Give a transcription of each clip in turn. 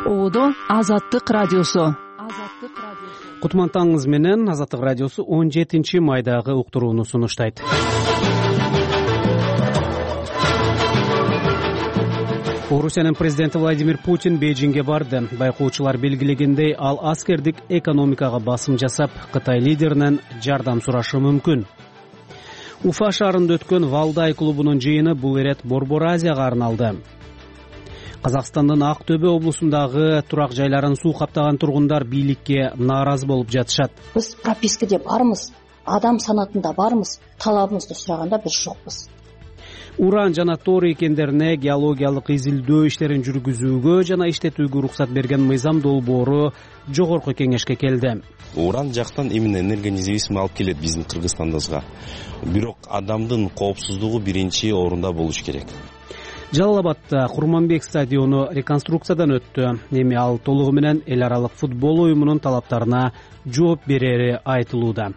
Ободо Азаттык радиосу. Кутман таңыңыз менен Азаттык радиосу 17 майдагы уктурууну сунуштайт. Орусиянын президенти Владимир Путин Бейжиңге барды. Байкоочулар белгилегендей, ал аскердик экономикага басым жасап, Кытай лидеринен жардам сурашы мүмкүн. Уфа шаарында өткөн Валдай клубунун жыйыны бул ирет Борбор Азияга арналды. Казакстандын Ак Төбө облусундагы турак жайларын суу каптаган тургундар бийликке нааразы болуп жатышат. Биз пропискаде бармыз, адам санатында бармыз, талабыбызды сураганда биз жокпуз. Уран жана торий кендерине геологиялык изилдөө иштерин жүргүзүүгө жана иштетүүгө уруксат берген мыйзам долбоору жогорку кеңешке келди. Уран жактан именно энергия независимый алып келет биздин Кыргызстандыбызга. Бирок адамдын коопсуздугу биринчи орунда болуш керек. Жалал Абадта Курманбек стадиону реконструкциядан өттү. Эми ал толугу менен эл аралык футбол уюмунун талаптарына жооп берери айтылууда.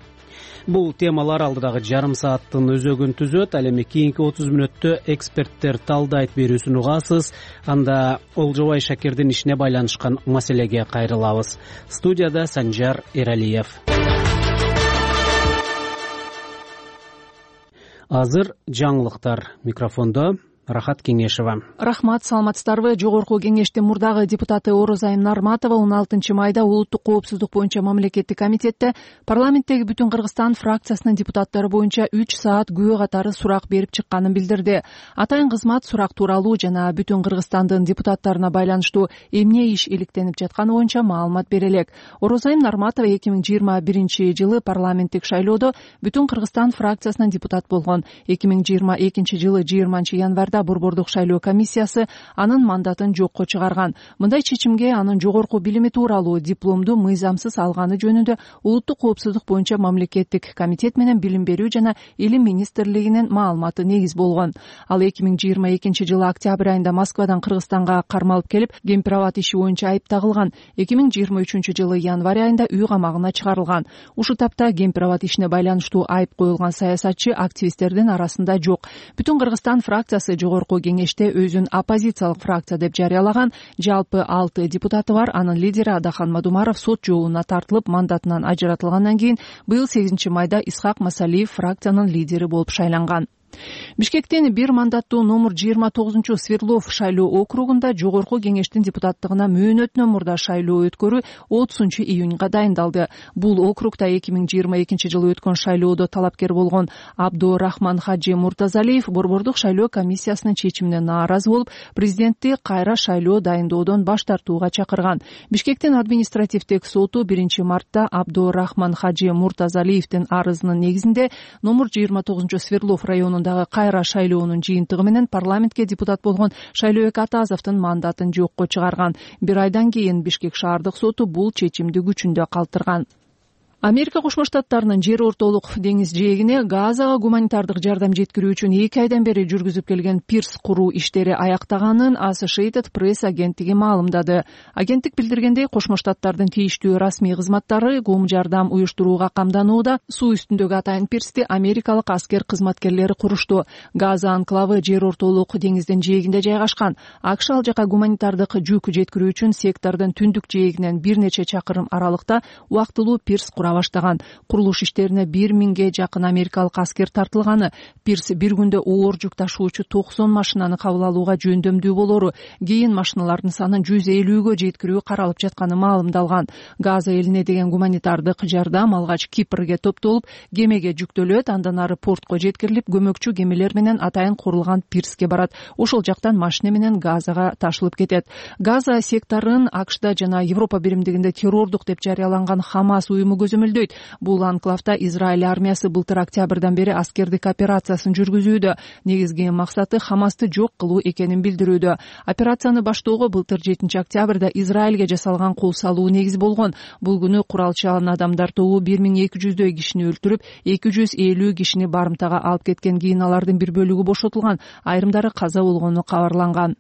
Бул темалар алдыдагы жарым сааттын өзөгүн түзөт. Ал эми кийинки 30 мүнөттө эксперттер талдайт берүүсүн угасыз. Анда Олжобай Шакирдин ишине байланышкан маселеге кайрылабыз. Студияда Санжар Эралиев. Азыр жаңылыктар. Микрофондо Рахат Кеңешева. Рахмат, саламатсыздарбы? Жогорку кеңештин мурдагы депутаты Орозайым Нарматова 16 майда улуттук коопсуздук боюнча мамлекеттик комитетте парламенттеги Бүтүн Кыргызстан фракциясынын депутаттары боюнча 3 саат күбө катары сурак берип чыкканын билдирди. Атайын кызмат сурак тууралуу жана Бүтүн Кыргызстандын депутаттарына байланыштуу эмне иш иликтенип жатканы боюнча маалымат бере элек. Орозайым Нарматова 2021 жылы парламенттик шайлоодо Бүтүн Кыргызстан фракциясынын депутат болгон. 2022 жылы 20 январда Борбордук шайлоо комиссиясы анын мандатын жокко чыгарган. Мындай чечимге анын жогорку билими тууралуу дипломду мыйзамсыз алганы жөнүндө улуттук коопсуздук боюнча мамлекеттик комитет менен билим берүү жана илим министрлигинин маалыматы негиз болгон. Ал 2022 жылы октябрь айында Москвадан Кыргызстанга кармалып келип, гемпирабад иши боюнча айып тагылган. 2023 жылы январь айында үй камагына чыгарылган. Ушул тапта гемпирабад ишине байланыштуу айып коюлган саясатчы активисттердин арасында жок. Бүтүн Кыргызстан фракциясы жогорку кеңеште өзүн оппозициялык фракция деп жарыялаган. Жалпы 6 депутаты бар. Анын лидери Адахан Мадумаров сот жоолуна тартылып, мандатынан ажыратылгандан кийин быйыл 8 майда Исхак Масалиев фракциянын лидери болуп шайланган. Бишкектин бир мандаттуу номер 29 Свердлов шайлоо округунда жогорку кеңештин депутаттыгына мөөнөтүнөн мурда шайлоо өткөрүү 30 июнга дайындалды. Бул округда 2022 жылы өткөн шайлоодо талапкер болгон Абдурахман Хаджи Муртазалиев Борбордук шайлоо комиссиясынын чечимине нааразы болуп, президентти кайра шайлоо дайындоодон баш тартууга чакырган. Бишкектин административдик соту 1 мартта Абдурахман Хаджи Муртазалиевдин арызынын негизинде номер 29 Свердлов районунда кайра шайлоонун жыйынтыгы менен парламентке депутат болгон Шайлообек Атазовдун мандатын жокко чыгарган. Бир айдан кийин Бишкек шаардык соту бул чечимди күчүндө калтырган. Америка Кошмо Штаттарынын жер ортолук деңиз жээгине Газага гуманитардык жардам жеткирүү үчүн 2 айдан бери жүргүзүп келген пирс куруу иштери аяктаганын Associated Press агенттиги маалымдады. Агенттик билдиргендей, Кошмо Штаттардын тийиштүү расмий кызматтары гум жардам уюштурууга камданууда. Суу үстүндөгү атайын пирсти америкалык аскер кызматкерлери курушту. Газа анклавы жер ортолук деңиздин жээгинде жайгашкан. АКШ ал жака гуманитардык жүк жеткирүү үчүн сектордун түндүк жээгинен бир нече чакырым аралыкта убактылуу пирс баштаган. Курулуш иштерине 1000ге жакын америкалык аскер тартылганы, пирс бир күндө оор жүк ташуучу 90 машинаны кабыл алууга жөндөмдүү болору, кийин машиналардын санын 150гө жеткирүү каралып жатканы маалымдалган. Газа элине деген гуманитардык жардам алгач Кипрге топтолуп, кемеге жүктөлөт, андан ары портко жеткирилип, көмөкчү кемелер менен атайын курулган пирске барат. Ошол жактан машина менен Газага ташылып кетет. Газа секторун АКШда жана Европа биримдигинде террордук деп жарыяланган Хамас уюму Бул анклавда Израиль армиясы былтыр октябрдан бери аскердик операциясын жүргүзүүдө. Негизги максаты Хамасты жок кылуу экенин билдирүүдө. Операцияны баштоого былтыр 7 октябрда Израилге жасалган кол салуу негиз болгон. Бул күнү куралчан адамдар тобу 1200дөй кишини өлтүрүп, 250 кишини барымтага алып кеткен. Кийин алардын бир бөлүгү бошотулган, айрымдары каза болгону кабарланган.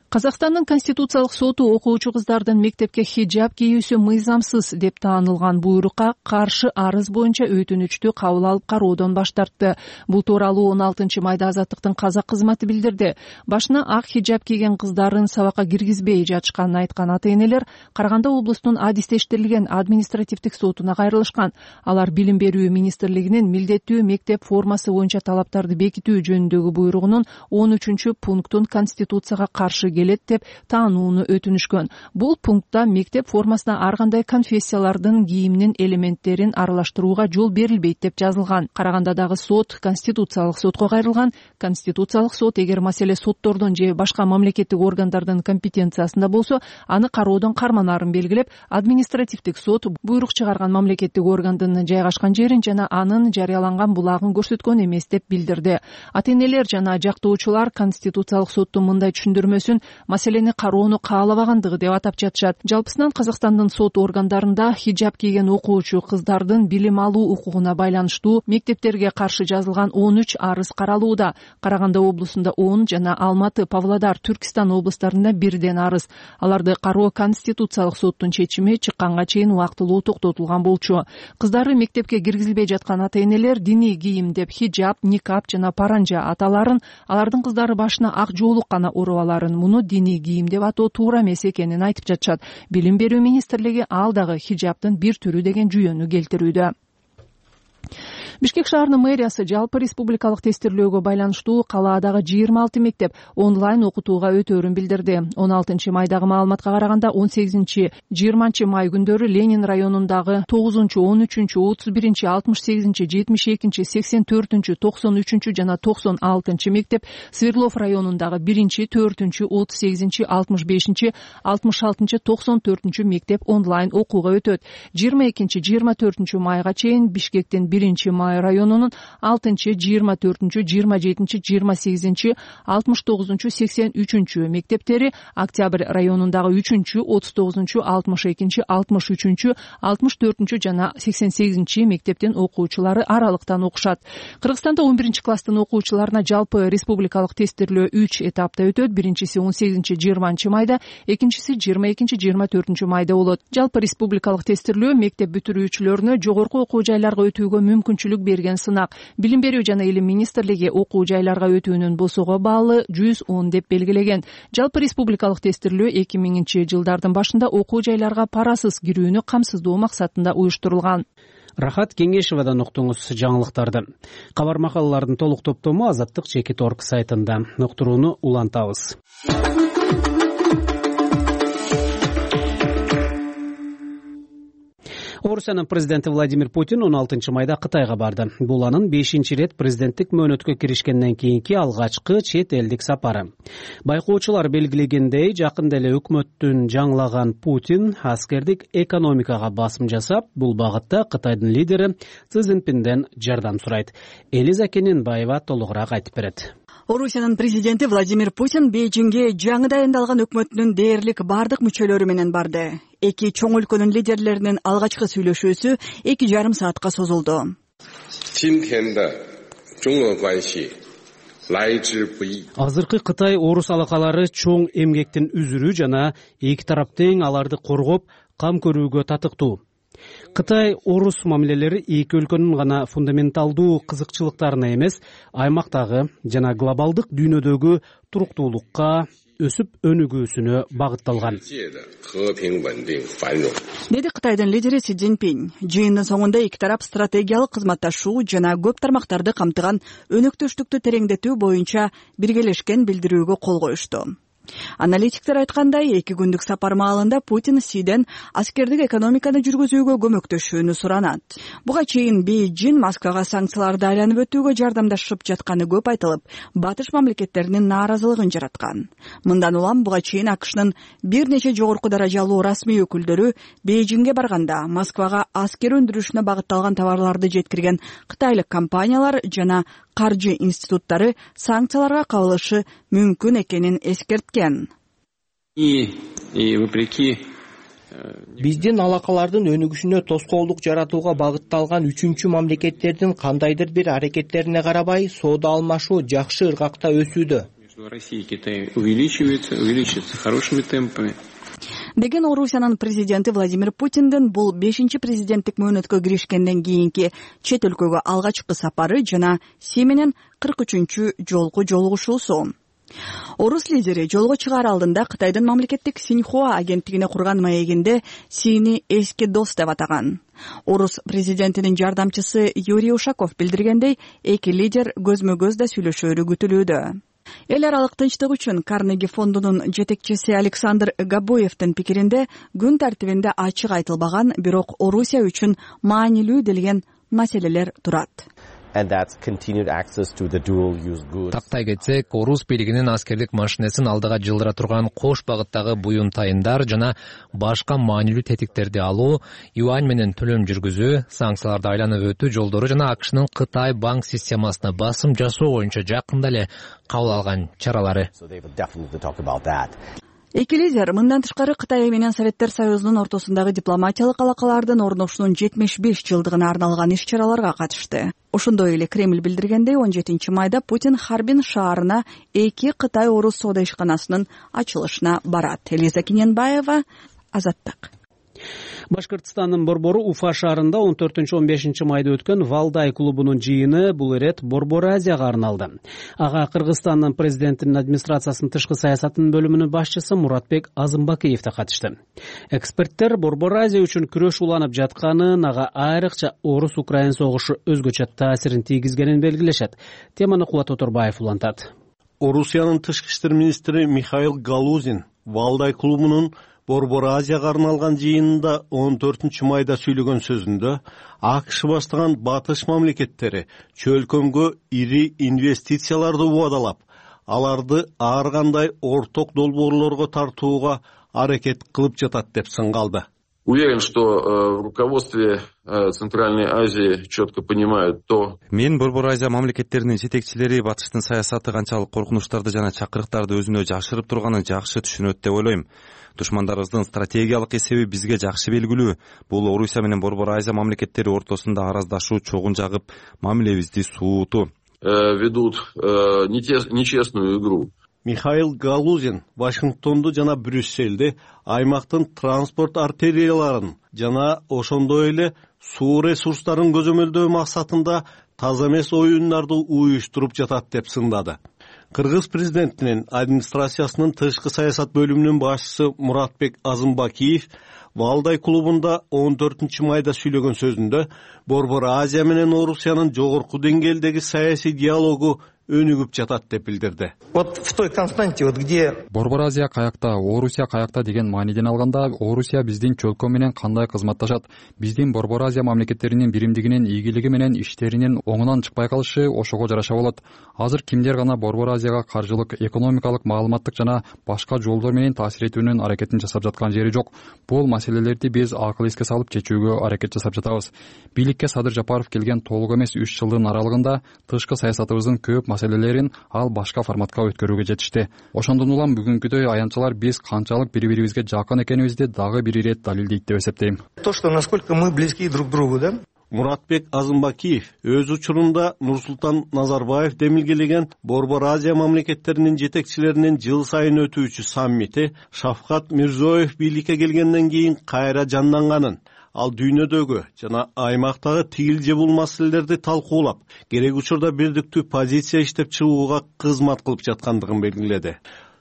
Казакстандын Конституциялык соту окуучу кыздардын мектепке хиджаб кийүүсү мыйзамсыз деп таанылган буйрукка каршы арыз боюнча өтүнүчтү кабыл алып кароодон баш тартты. Бул тууралуу 16 майда Азаттыктын казак кызматы билдирди. Башына ак хиджаб кийген кыздарын сабакка киргизбей жатышканын айткан ата-энелер Караганда облустунун адистештирилген административдик сотуна кайрылышкан. Алар Билим берүү министрлигинин милдеттүү мектеп формасы боюнча талаптарды бекитүү жөнүндөгү буйругунун 13-пунктун Конституцияга каршы келет деп таанууну өтүнүшкөн. Бул пунктта мектеп формасына ар кандай конфессиялардын кийиминин элементтерин аралаштырууга жол берилбейт деп жазылган. Карагандадагы сот Конституциялык сотко кайрылган. Конституциялык сот эгер маселе соттордун же башка мамлекеттик органдардын компетенциясында болсо, аны кароодон карманарын белгилеп, административдик сот буйрук чыгарган мамлекеттик органдын жайгашкан жерин жана анын жарыяланган булагын көрсөткөн эмес деп билдирди. Ата-энелер жана жактоочулар Конституциялык соттун мындай түшүндүрмөсүн маселени кароону каалабагандыгы деп атап жатышат. Жалпысынан Казакстандын сот органдарында хиджаб кийген окуучу кыздардын билим алуу укугуна байланыштуу мектептерге каршы жазылган 13 арыз каралууда. Караганда облусунда 10 жана Алматы, Павлодар, Түркистан облустарында бирден арыз. Аларды кароо Конституциялык соттун чечими чыкканга чейин убактылуу токтотулган болчу. Кыздары мектепке киргизилбей жаткан ата-энелер диний кийим деп хиджаб, никап жана паранжа аталарын, алардын кыздары башына ак жоолук гана уруп аларын, муну диний кийим деп атоо туура эмес экенин айтып жатышат. Билим берүү министрлиги ал дагы хиджабтын бир түрү деген жүйөнү келтирүүдө. Бишкек шаарынын мэриясы жалпы республикалык тестирлөөгө байланыштуу калаадагы 26 мектеп онлайн окутууга өтөөрүн билдирди. 16 майдагы маалыматка караганда 18-20 май күндөрү Ленин районундагы 9, 13, 31, 68, 72, 84, 93 жана 96 мектеп, Свердлов районундагы 1, 4, 38, 65, 66, 94 мектеп онлайн окууга өтөт. 22-24 майга чейин Бишкектин 1 май районунун 6, 24, 27, 28, 69, 83 мектептери, Октябрь районундагы 3, 39, 62, 63, 64 жана 88 мектептин окуучулары аралыктан окушат. Кыргызстанда 11 класстын окуучуларына жалпы республикалык тестирлөө 3 этапта өтөт. Биринчиси 18-20 майда, экинчиси 22-24 майда болот. Жалпы республикалык тестирлөө мектеп бүтүрүүчүлөрүнө жогорку окуу жайларга өтүүгө мүмкүнчүлүк берген сынак. Билим берүү жана илим министрлиги окуу жайларга өтүүнүн босого баалы 110 деп белгилеген. Жалпы республикалык тестирлөө 2000-жылдардын башында окуу жайларга парасыз кирүүнү камсыздоо максатында уюштурулган. Рахат Кеңешевадан уктуңуз жаңылыктарды. Кабар макалалардын толук топтому Азаттык.org сайтында. Уктурууну улантабыз. Орусиянын президенти Владимир Путин 16 майда Кытайга барды. Бул анын 5-рет президенттик мөөнөткө киришкенден кийинки алгачкы чет элдик сапары. Байкоочулар белгилегендей, жакында эле өкмөттүн жаңылаган Путин аскердик экономикага басым жасап, бул багытта Кытайдын лидери Си Цзиньпинден жардам сурайт. Элиза Кененбаева толугураак айтып берет. Орусиянын президенти Владимир Путин Бейжиңге жаңы дайындалган өкмөтүнүн дээрлик бардык мүчөлөрү менен барды. Эки чоң өлкөнүн лидерлеринин алгачкы сүйлөшүүсү 2,5 саатка созулду. Азыркы Кытай-Орус алакалары чоң эмгектин үзүрү жана эки тарап тең аларды коргоп, кам көрүүгө татыктуу. Кытай-Орус мамилелери эки өлкөнүн гана фундаменталдуу кызыкчылыктарына эмес, аймактагы жана глобалдык дүйнөдөгү туруктуулукка, өсүп өнүгүүсүнө багытталган, деди Кытайдын лидери Си Цзиньпин. Жыйындын соңунда эки тарап стратегиялык кызматташуу жана көп тармактарды камтыган өнөктөштүктү тереңдетүү боюнча биргелешкен билдирүүгө кол коюшту. Аналитиктер айткандай, 2 күндүк сапар маалында Путин Сиден аскердик экономиканы жүргүзүүгө көмөктөшүүнү суранат. Буга чейин Бейжиң Москвага санкцияларды айланып өтүүгө жардамдашып жатканы көп айтылып, батыш мамлекеттеринин нааразылыгын жараткан. Мындан улам буга чейин АКШнын бир нече жогорку даражалуу расмий өкүлдөрү Бейжиңге барганда Москвага аскер өндүрүшүнө багытталган товарларды жеткирген кытайлык компаниялар жана каржы институттары санкцияларга кабылышы мүмкүн экенин эскерткен. Биздин алакалардын өнүгүшүнө тоскоолдук жаратууга багытталган 3-чү мамлекеттердин кандайдыр бир аракеттерине карабай, соода алмашуу жакшы ыргакта өсүүдө. Россия и Китай увеличивается хорошими темпами. Деген Орусиянын президенти Владимир Путиндин бул 5-чи президенттик мөөнөткө киришкенден кийинки чет өлкөгө алгачкы сапары жана Си менен 43-чү жолку жолугушуусу. Орус лидери жолго чыгаар алдында Кытайдын мамлекеттик Синьхуа агенттигине курган маегинде Сини эски дос деп атаган. Орус президентинин жардамчысы Юрий Ушаков билдиргендей, эки лидер көзмө-көз да сүйлөшөөрү күтүлүүдө. Эл аралык тынчтык үчүн Карнеги фондунун жетекчиси Александр Габоевдин пикиринде күн тартибинде ачык айтылбаган, бирок Орусия үчүн маанилүү делген маселелер турат. Тактай кетсек, Орус бийлигинин аскердик машинесин алдыга жылдыра турган кош багыттагы буюмтайындар жана башка маанилүү тетиктерди алуу, юань менен төлөм жүргүзүү, санкцияларды айланып өтүү жолдору жана АКШнын Кытай банк системасына басым жасоо боюнча жакында эле кабыл алган чаралары. Эки лидер мындан тышкары Кытай менен Советтер Союзунун ортосундагы дипломатиялык алакалардын орношуунун 75 жылдыгына арналган иш-чараларга катышты. Ошондой эле Кремль билдиргендей, 17-майда Путин Харбин шаарына эки Кытай-Орус соода ишканасынын ачылышына барат. Элиза Кененбаева, Азаттык. Башкыртстандын Борбору Уфа шаарында 14-15 майда өткөн Валдай клубунун жыйыны бул ирет Борбор Азияга арналды. Ага Кыргызстандын президентинин администрациясынын тышкы саясатынын бөлүмүнүн башчысы Муратбек Азымбакиев да катышты. Эксперттер Борбор Азия үчүн күрөш уланып жатканын, ага айрыкча Орус-Украин согушу өзгөчө таасирин тийгизгенин белгилешет. Теманы Кубат Оторбаев улантат. Орусиянын тышкы иштер министри Михаил Галузин Валдай клубунун Борбор Азияга арналган жыйынында 14-майда сүйлөгөн сөзүндө АКШ баштаган батыш мамлекеттери чөлкөмгө ири инвестицияларды убадалап, аларды ар кандай орток долбоорлорго тартууга аракет кылып жатат деп сынгалды. Уверен, что в руководстве Центральной Азии четко понимают то. Мен Борбор Азия мамлекеттеринин жетекчилери батыштын саясаты канчалык коркунучтарды жана чакырыктарды өзүнө жашырып турганын жакшы түшүнөт деп ойлойм. Душмандарыбыздын стратегиялык эсеби бизге жакшы белгилүү. Бул Орусия менен Борбор Азия мамлекеттери ортосунда араздашуу чогун жагып, мамилебизди суутуу. Ведут нечестную игру. Михаил Галузин Вашингтонду жана Брюссельди аймактын транспорт артерияларын жана ошондой эле суу ресурстарын көзөмөлдөө максатында таза эмес оюндарды уюштуруп жатат деп сындады. Кыргыз президентинин администрациясынын тышкы саясат бөлүмүнүн башчысы Муратбек Азымбакиев Валдай клубунда 14-майда сүйлөгөн сөзүндө Борбор Азия менен Орусиянын жогорку деңгээлдеги саясий диалогу өнүгүп жатат деп билдирди. Вот в той константе, вот где Борбор Азия каякта, Орусия каякта деген мааниден алганда, Орусия биздин чөлкө менен кандай кызматташат, биздин Борбор Азия мамлекеттеринин биримдигинин ийгилиги менен иштеринин оңунан чыкпай калышы ошого жараша болот. Азыр кимдер гана Борбор Азияга каржылык, экономикалык, маалыматтык жана башка жолдор менен таасир этүүнүн аракетин жасап жаткан жери жок. Бул маселелерди биз акыл эске салып чечүүгө аракет жасап жатабыз. Бийликке Садыр Жапаров келген толук эмес 3 жылдын аралыгында тышкы саясатыбыздын көп маселелерин ал башка форматка өткөрүүгө жетишти. Ошондон улам бүгүнкүдөй аянтчалар биз канчалык бири-бирибизге жакын экенибизди дагы бир ирет далилдейт деп эсептейм. То, что насколько мы близки друг к другу, да? Муратбек Азымбакиев өз учурунда Нурсултан Назарбаев демилгелеген Борбор Азия мамлекеттеринин жетекчилеринин жыл сайын өтүүчү саммити Шавкат Мирзиёев бийликке келгенден кийин кайра жанданганын, ал дүйнөдөгү жана аймактагы тигил же бул маселелерди талкуулап, керек учурда бирдиктүү позиция иштеп чыгууга кызмат кылып жаткандыгын белгиледи.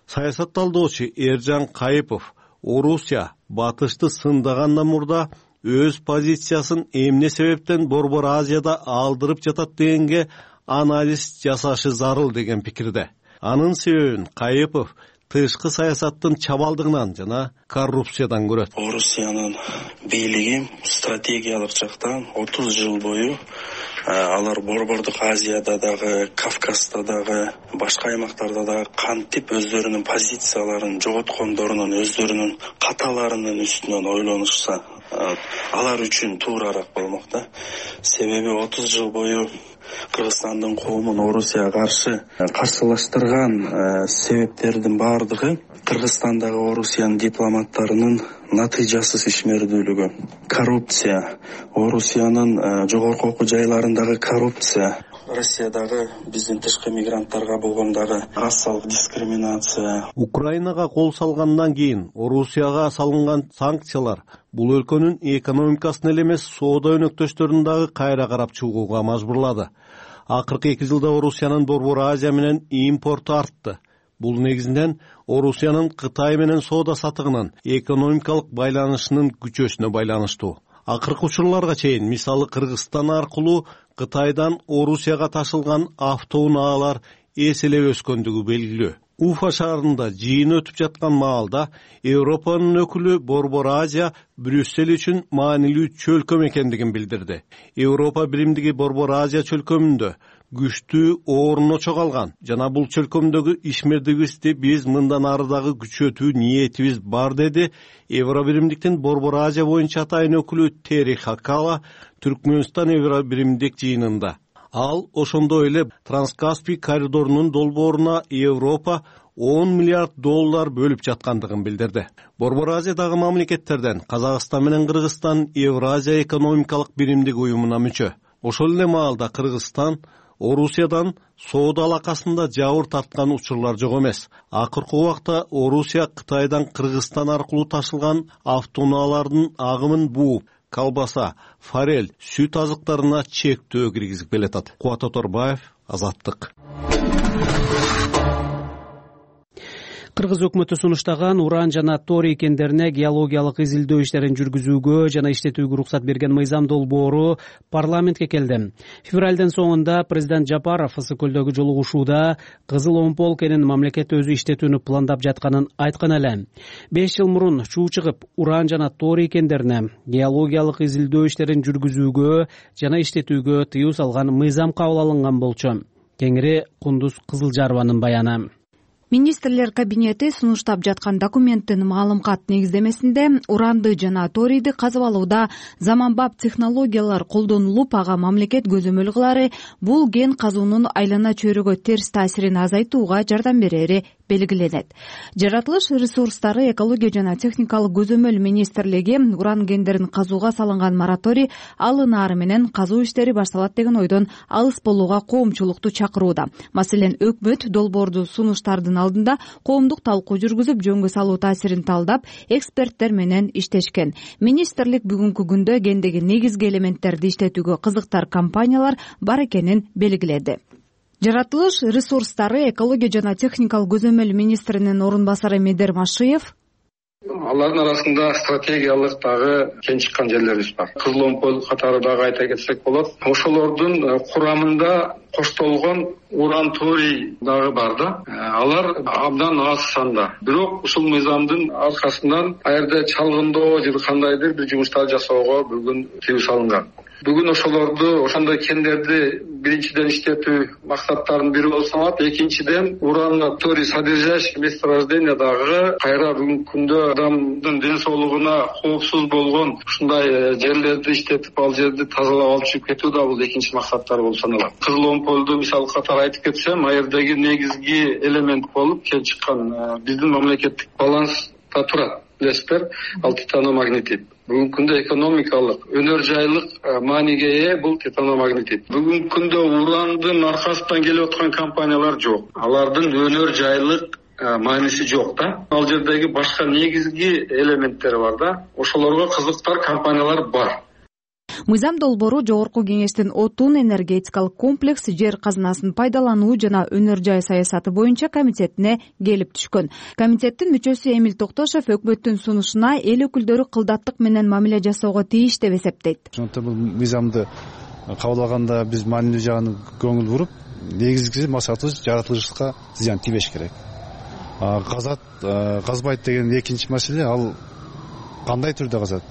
Саясат талдоочу Эржан Кайыпов Орусия батышты сындагандан мурда өз позициясын эмне себептен Борбор Азияда алдырып жатат дегенге анализ жасашы зарыл деген пикирде. Анын себебин Кайыпов тышкы саясаттын чабалдыгынан жана коррупциядан көрөт. Орусиянын бийлиги стратегиялык жактан 30 жыл бою алар Борбордук Азияда дагы, Кавказда дагы, башка аймактарда дагы кантип өздөрүнүн позицияларын жоготкондорунун, өздөрүнүн каталарынын үстүнөн ойлонушса, алар үчүн туурараак болмок да. Себеби 30 жыл бою Кыргызстандын коомун Орусияга каршы каршылаштырган себептердин бардыгы Кыргызстандагы Орусиянын дипломаттарынын натыйжасыз ишмердүүлүгү, коррупция, Орусиянын жогорку окуу жайларындагы коррупция, Россиядагы биздин тышкы мигранттарга болгон дагы расалык дискриминация. Украинага кол салгандан кийин Орусияга салынган санкциялар бул өлкөнүн экономикасын эле эмес, соода өнөктөштөрүн дагы кайра карап чыгууга мажбурлады. Акыркы 2 жылда Орусиянын Борбор Азия менен импорту артты. Бул негизинен Орусиянын Кытай менен соода сатыгынын экономикалык байланышынын күчөсүнө байланыштуу. Акыркы учурларга чейин, мисалы Кыргызстан аркылуу Кытайдан Орусияга ташылган автоунаалар эселеп өскөндүгү белгилүү. Уфа шаарында жыйын өтүп жаткан маалда Европанын өкүлү Борбор Азия Брюссель үчүн маанилүү чөлкөм экендигин билдирди. Европа биримдиги Борбор Азия чөлкөмүндө күчтүү орунно чогалган жана бул чөлкөмдөгү ишмердигибизди биз мындан ары дагы күчөтүү ниетибиз бар, деди Евро биримдиктин Борбор Азия боюнча атайын өкүлү Тери Хакала Түркмөнстан Евро биримдик жыйынында. Ал ошондой эле Транскаспий коридорунун долбооруна Европа $10 миллиард бөлүп жаткандыгын билдирди. Борбор Азиядагы мамлекеттерден Казакстан менен Кыргызстан Евразия экономикалык биримдик уюмуна мүчө. Ошол эле маалда Кыргызстан Орусиядан соода алакасында жабыр тарткан учурлар жок эмес. Акыркы убакта Орусия Кытайдан Кыргызстан аркылуу ташылган автоунаалардын агымын бууп, колбаса, форель, сүт азыктарына чектөө киргизип келатат. Кубат Оторбаев, Азаттык. Кыргыз өкмөтү сунуштаган уран жана торий кендерине геологиялык изилдөө иштерин жүргүзүүгө жана иштетүүгө уруксат берген мыйзам долбоору парламентке келди. Февралдын соңунда президент Жапаров Ысык көлдөгү жолугушууда Кызыл Омпол кенин мамлекет өзү иштетүүнү пландап жатканын айткан эле. 5 жыл мурун чуу чыгып, уран жана торий кендерине геологиялык изилдөө иштерин жүргүзүүгө жана иштетүүгө тыюу салган мыйзам кабыл алынган болчу. Кеңири Кундуз Кызылжарованын баяны. Министрлер кабинети сунуштап жаткан документтин маалымкат негиздемесинде уранды жана торийди казып алууда заманбап технологиялар колдонулуп, ага мамлекет көзөмөл кылары бул кен казуунун айлана чөйрөгө терс таасирин азайтууга жардам берери белгиленет. Жаратылыш ресурстары, экология жана техникалык көзөмөл министрлиги уран кендерин казууга салынган мораторий алынаары менен казуу иштери башталат деген ойдон алыс болууга коомчулукту чакырууда. Маселен, өкмөт долбоорду сунуштардын алдында коомдук талкуу жүргүзүп, жөнгө салуу таасирин талдап, эксперттер менен иштешкен. Министрлик бүгүнкү күндө кендеги негизги элементтерди иштетүүгө кызыктар компаниялар бар экенин белгиледи. Жаратылыш ресурстары, экология жана техникалык көзөмөл министринин орун басары Медер Машиев: алардын арасында стратегиялык дагы кен чыккан жерлерибиз бар. Кызыл Омпол катары дагы айта кетсек болот. Ошолордун курамында коштолгон уран торий дагы бар да. Алар абдан аз санда. Бирок ушул мыйзамдын аркасынан аерде чалгындоо же кандайдыр бир жумуштар жасоого бүгүн тыюу салынган. Бүгүн ошолорду, ошондой кендерди биринчиден иштетүү максаттарынын бири болуп саналат. Экинчиден, уран торий содержащий месторождение дагы кайра бүгүнкү күндө адамдын ден соолугуна коопсуз болгон ушундай жерлерди иштетип, ал жерди тазалап алып чыгып кетүү да бул экинчи максаттар болуп саналат. Кызыл Омполду мисал катары айтып кетсем, аердеги негизги элемент болуп кен чыккан биздин мамлекеттик баланста турат. Билесиздер, ал титаномагнетит. Бүгүнкү күндө экономикалык, өнөр жайлык мааниге ээ бул титаномагнетит. Бүгүнкү күндө урандын аркасынан келип аткан компаниялар жок. Алардын өнөр жайлык мааниси жок да. Ал жердеги башка негизги элементтер бар да. Ошолорго кызыктар компаниялар бар. Мыйзам долбоору Жогорку Кеңештин отун энергетикалык комплекс, жер казынасын пайдалануу жана өнөр жай саясаты боюнча комитетине келип түшкөн. Комитеттин мүчөсү Эмил Токтошов өкмөттүн сунушуна эл өкүлдөрү кылдаттык менен мамиле жасоого тийиш деп эсептейт. Ошондуктан бул мыйзамды кабыл алганда биз маанилүү жагына көңүл буруп, негизги максатыбыз жаратылышка зыян тийбеш керек. Казат, казбайт деген экинчи маселе, ал кандай түрдө казат?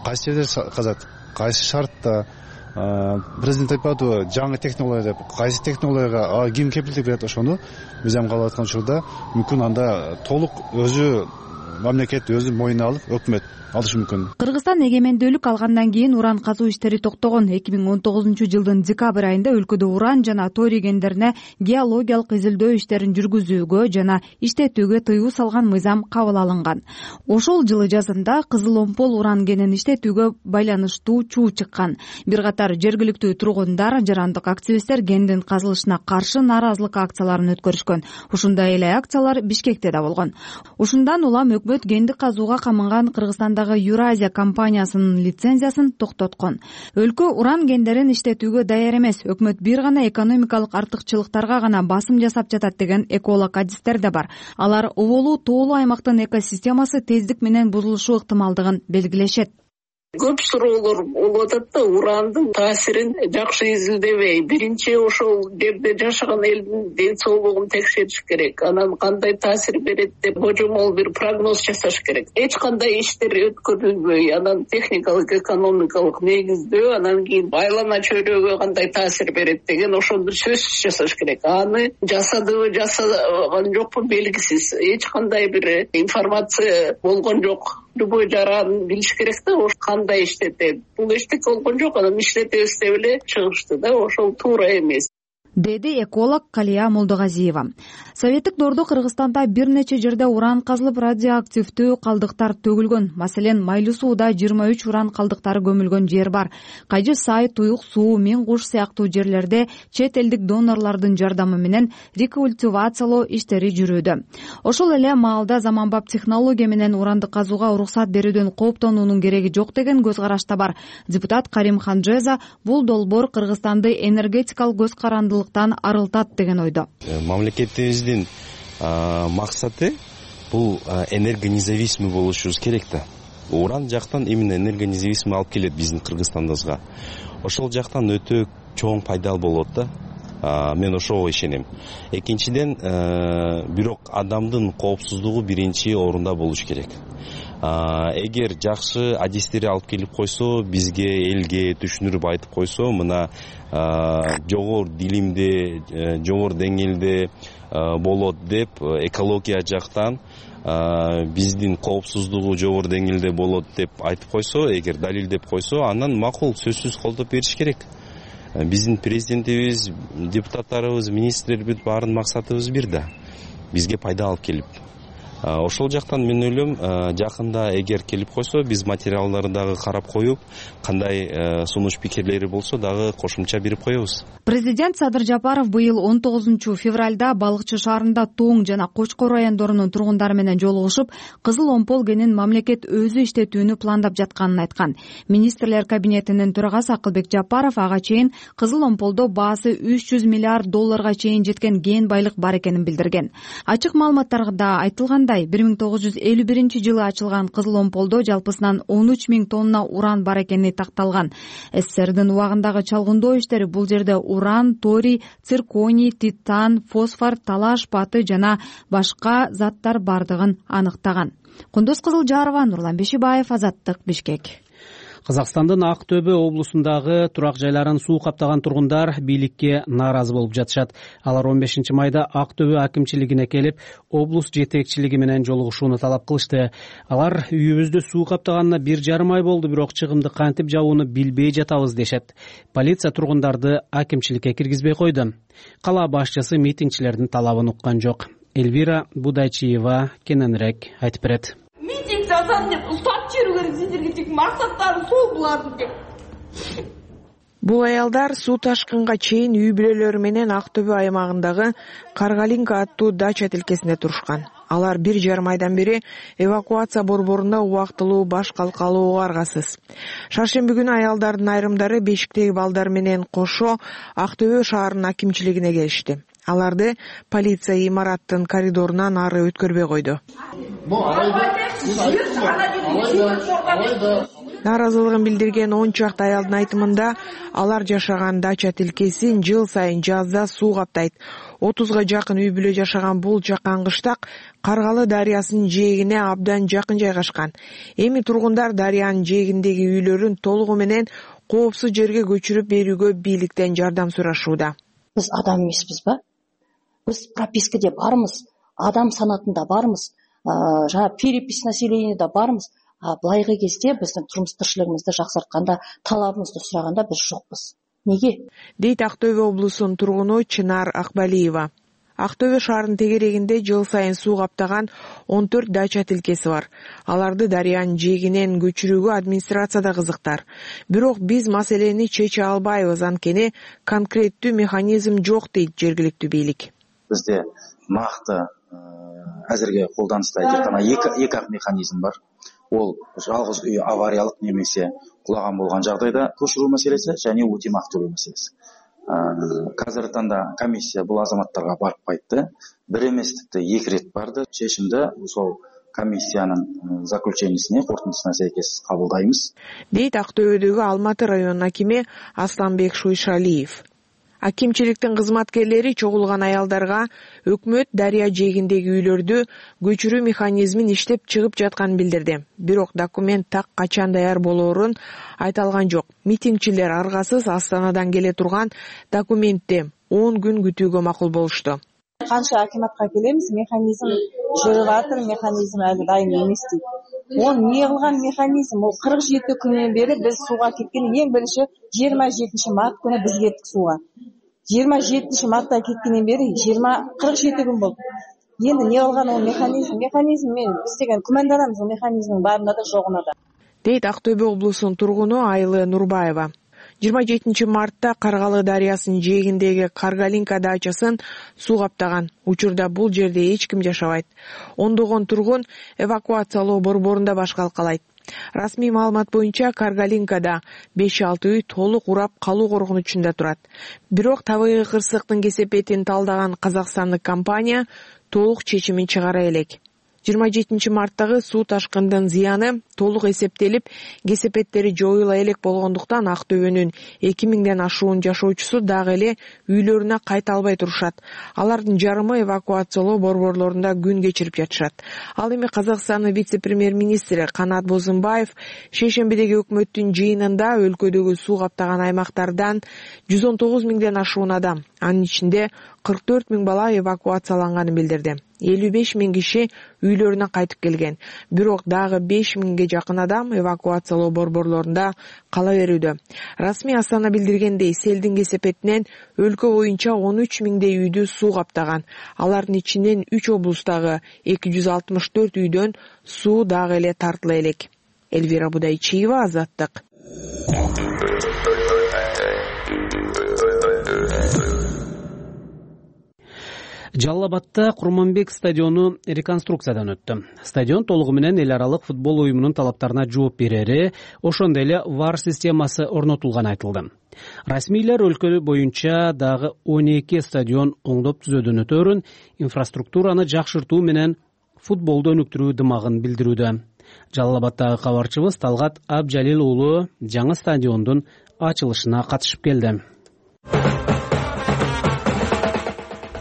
Кайсы жерде казат? Кайсы шартта? Президент айтып атты, жаңы технология деп. Кайсы технологияга ким кепилдик берет? Ошону мыйзам кабыл аткан учурда мүмкүн анда толук өзү мамлекет өзү мойнуна алып өкмөт алышы мүмкүн. Кыргызстан эгемендүүлүк алгандан кийин уран казуу иштери токтогон. 2019-жылдын декабрь айында өлкөдө уран жана торий кендерине геологиялык изилдөө иштерин жүргүзүүгө жана иштетүүгө тыюу салган мыйзам кабыл алынган. Ошол жылы жазында Кызыл Омпол уран кенин иштетүүгө байланыштуу чуу чыккан. Бир катар жергиликтүү тургундар, жарандык активисттер кендин казылышына каршы нааразылык акцияларын өткөрүшкөн. Ушундай эле акциялар Бишкекте да болгон. Ушундан улам өкмөт кенди казууга камыган Кыргызстандагы Юразия компаниясынын лицензиясын токтоткон. Өлкө уран кендерин иштетүүгө даяр эмес. Өкмөт бир гана экономикалык артыкчылыктарга гана басым жасап жатат деген эколог адистер да бар. Алар убулуу тоолуу аймактын экосистемасы тездик менен бузулушу ыктымалдыгын белгилешет. Көп суроолор болуп атат да, урандын таасирин жакшы изилдебей, биринчи ошол жерде жашаган элдин ден соолугун текшериш керек. Анан кандай таасир берет деп божомол бир прогноз жасаш керек. Эч кандай иштер өткөрүлбөй, анан техникалык, экономикалык негиздөө, анан кийин айлана чөйрөгө кандай таасир берет деген ошол бир сөзсүз жасаш керек. Аны жасадыбы, жасаган жокпу белгисиз. Эч кандай бир информация болгон жок. Любой жаранын билиш керек да, ошо кандай иштетет. Бул эчтеке болгон жок, анан иштетебиз деп эле чыгышты да, ошол туура эмес, деди эколог Калия Молдогазиева. Советтик доордо Кыргызстанда бир нече жерде уран казылып, радиоактивдүү калдыктар төгүлгөн. Маселен, Майлуу сууда 23 уран калдыктары көмүлгөн жер бар. Кайжы Сай, Туюк суу, Мен Куш сыяктуу жерлерде чет элдик донорлордун жардамы менен рекультивациялоо иштери жүрүүдө. Ошол эле маалда заманбап технология менен уранды казууга уруксат берүүдөн кооптонуунун кереги жок деген көз караш да бар. Депутат Карим Ханжеза бул долбоор Кыргызстанды энергетикалык көз карандылыктан арылтат деген ойдо. Мамлекетибиздин максаты бул энергонезависимый болушубуз керек да. Уран жактан именно энергонезависимый алып келет биздин Кыргызстандыбызга. Ошол жактан өтө чоң пайдал болот да. Мен ошого ишенем. Экинчиден, бирок адамдын коопсуздугу биринчи орунда болуш керек. Эгер жакшы адистери алып келип койсо, бизге, элге түшүндүрүп айтып койсо, мына жогору дилимде, жогору деңгээлде болот деп, экология жактан биздин коопсуздугу жогору деңгээлде болот деп айтып койсо, эгер далилдеп койсо, анан макул, сөзсүз колдоп бериш керек. Биздин президентибиз, депутаттарыбыз, министрлерибиз баарын максатыбыз бир да. Бизге пайда алып келип. Ошол жактан мен ойлойм, жакында эгер келип койсо, биз материалдарды дагы карап коюп, кандай сунуш пикирлери болсо дагы кошумча берип коебуз. Президент Садыр Жапаров быйыл 19 февралда Балыкчы шаарында Тоң жана Кочкор райондорунун тургундары менен жолугушуп, Кызыл Омпол кенин мамлекет өзү иштетүүнү пландап жатканын айткан. Министрлер кабинетинин төрагасы Акылбек Жапаров ага чейин Кызыл Омполдо баасы $300 миллиард чейин жеткен кен байлык бар экенин билдирген. Ачык маалыматтарда айтылгандай, 1951-жылы ачылган Кызыл Омполдо жалпысынан 13 000 тонна уран бар экени такталган. СССРдин убагындагы чалгындоо иштери бул жерде уран, торий, цирконий, титан, фосфор, талаш паты жана башка заттар бардыгын аныктаган. Кундуз Кызылжарова, Нурлан Бешибаев, Азаттык, Бишкек. Кыргызстандын Ак Төбө облусундагы турак жайларын суу каптаган тургундар бийликке нааразы болуп жатышат. Алар 15 майда Ак Төбө акимчилигине келип, облус жетекчилиги менен жолугушууну талап кылышты. Алар үйүбүздү суу каптаганына 1,5 ай болду, бирок чыгымды кантип жабууну билбей жатабыз дешет. Полиция тургундарды акимчиликке киргизбей койду. Кала башчысы митингчилердин талабын уккан жок. Эльвира Будайчиева кененирээк айтып берет. Митинг жасадым деп уктап жүрүү керек, сиздерге тек максаттары сол булардын деп. Бул аялдар суу ташкынга чейин үй бүлөлөрү менен Ак Төбө аймагындагы Каргалинка аттуу дача тилкесинде турушкан. Алар 1,5 айдан бери эвакуация борборунда убактылуу баш калкалууга аргасыз. Шаршемби күнү аялдардын айрымдары бешиктеги балдар менен кошо Ак Төбө шаарынын акимчилигине келишти. Аларды полиция имараттын коридорунан ары өткөрбөй койду. Нааразылыгын билдирген 10 чакты аялдын айтымында, алар жашаган дача тилкесин жыл сайын жазда суу каптайт. 30га жакын үй бүлө жашаган бул жакан кыштак Каргалы дарыясынын жээгине абдан жакын жайгашкан. Эми тургундар дарыянын жээгиндеги үйлөрүн толугу менен коопсуз жерге көчүрүп берүүгө бийликтен жардам сурашууда. Биз адам эмеспиз ба? Биз пропискаде бармыз, адам санатында бармыз. жаңа перепись населениеда бармыз, былайкы кезде биздин турмуш тирчилигибизди жаксартканда, талабыбызды сураганда биз жокпуз. Неге? Дейт Актөбө облусунун тургуну Чынар Акбалиева. Актөбө шаарынын тегерегинде жыл сайын суу каптаган 14 дача тилкеси бар. Аларды дарыянын жээгинен көчүрүүгө администрация да кызыктар. Бирок биз маселени чече албайбыз, анткени конкреттүү механизм жок дейт жергиликтүү бийлик. Бизде накты азыркы колданышта тек гана эки механизм бар. Ол жалгыз үй авариялык немесе кулаган болгон жагдайда көчүрүү маселеси және өтемак төлөө маселеси. Қазіргі таңда комиссия бұл азаматтарға барып қайтты. Бір емес тіпті 2 рет барды. Шешімді сол комиссияның заключениесіне, қорытындысына сәйкес қабылдаймыз. Дейт Ақтөбедегі Алматы районунун акими Асланбек Шуйшалиев. Акимчиликтин кызматкерлери чогулган аялдарга өкмөт дарыя жээгиндеги үйлөрдү көчүрүү механизмин иштеп чыгып жатканын билдирди. Бирок документ так качан даяр болоорун айталган жок. Митингчилер аргасыз Астанадан келе турган документти 10 күн күтүүгө макул болушту. Канча акиматка келебиз, механизм жүрүп атыр, механизм әлі дайын эмес дейт. Ол не кылган механизм? Ол 47 күннен бери биз сууга кеткен. Эң биринчи 27 март күнү биз кеттик сууга. 27 мартта кеткенден бери 47 күн болду. Енді не кылган ол механизм? Механизм мен биз деген күмөнданабыз, ол механизмдин барында да жогуна да. Дейт Актөбө облусунун тургуну Айлы Нурбаева. 27 мартта Каргалы дарыясынын жээгиндеги Каргалинка дачасын суу каптаган. Учурда бул жерде эч ким жашабайт. Ондогон тургун эвакуациялоо борборунда башкалкалайт. Расмий маалымат боюнча Каргалинкада 5-6 үй толук урап калуу коркунучунда турат. Бирок табигый кырсыктын кесепетин талдаган казакстандык компания толук чечимин чыгара элек. 27 марттагы суу ташкындын зыяны толук эсептелип, кесепеттери жоюла элек болгондуктан Актөбөнүн 2000ден ашуун жашоочусу дагы эле үйлөрүнө кайта албай турушат. Алардын жарымы эвакуациялоо борборлорунда күн кечирип жатышат. Ал эми Казакстандын вице-премьер-министри Канат Бозумбаев шейшембидеги өкмөттүн жыйынында өлкөдөгү суу каптаган аймактардан 119 миңден ашуун адам, анын ичинде 44 миң бала эвакуацияланганын билдирди. 55 миң киши үйлөрүнө кайтып келген. Бирок дагы 5 миңге жакын адам эвакуациялоо борборлорунда кала берүүдө. Расмий Астана билдиргендей, селдин кесепетинен өлкө боюнча 13 миңдей үйдү суу каптаган. Алардын ичинен 3 облустагы 264 үйдөн суу дагы эле тартыла элек. Элвира Будайчиева, Азаттык. Жалал Абадта Курманбек стадиону реконструкциядан өттү. Стадион толугу менен эл аралык футбол уюмунун талаптарына жооп берери, ошондой эле VAR системасы орнотулганы айтылды. Расмийлер өлкө боюнча дагы 12 стадион оңдоп түзүүдөн өтөөрүн, инфраструктураны жакшыртуу менен футболду өнүктүрүү дымагын билдирүүдө. Жалал Абадтагы кабарчыбыз Талгат Абжалил уулу жаңы стадиондун ачылышына катышып келди.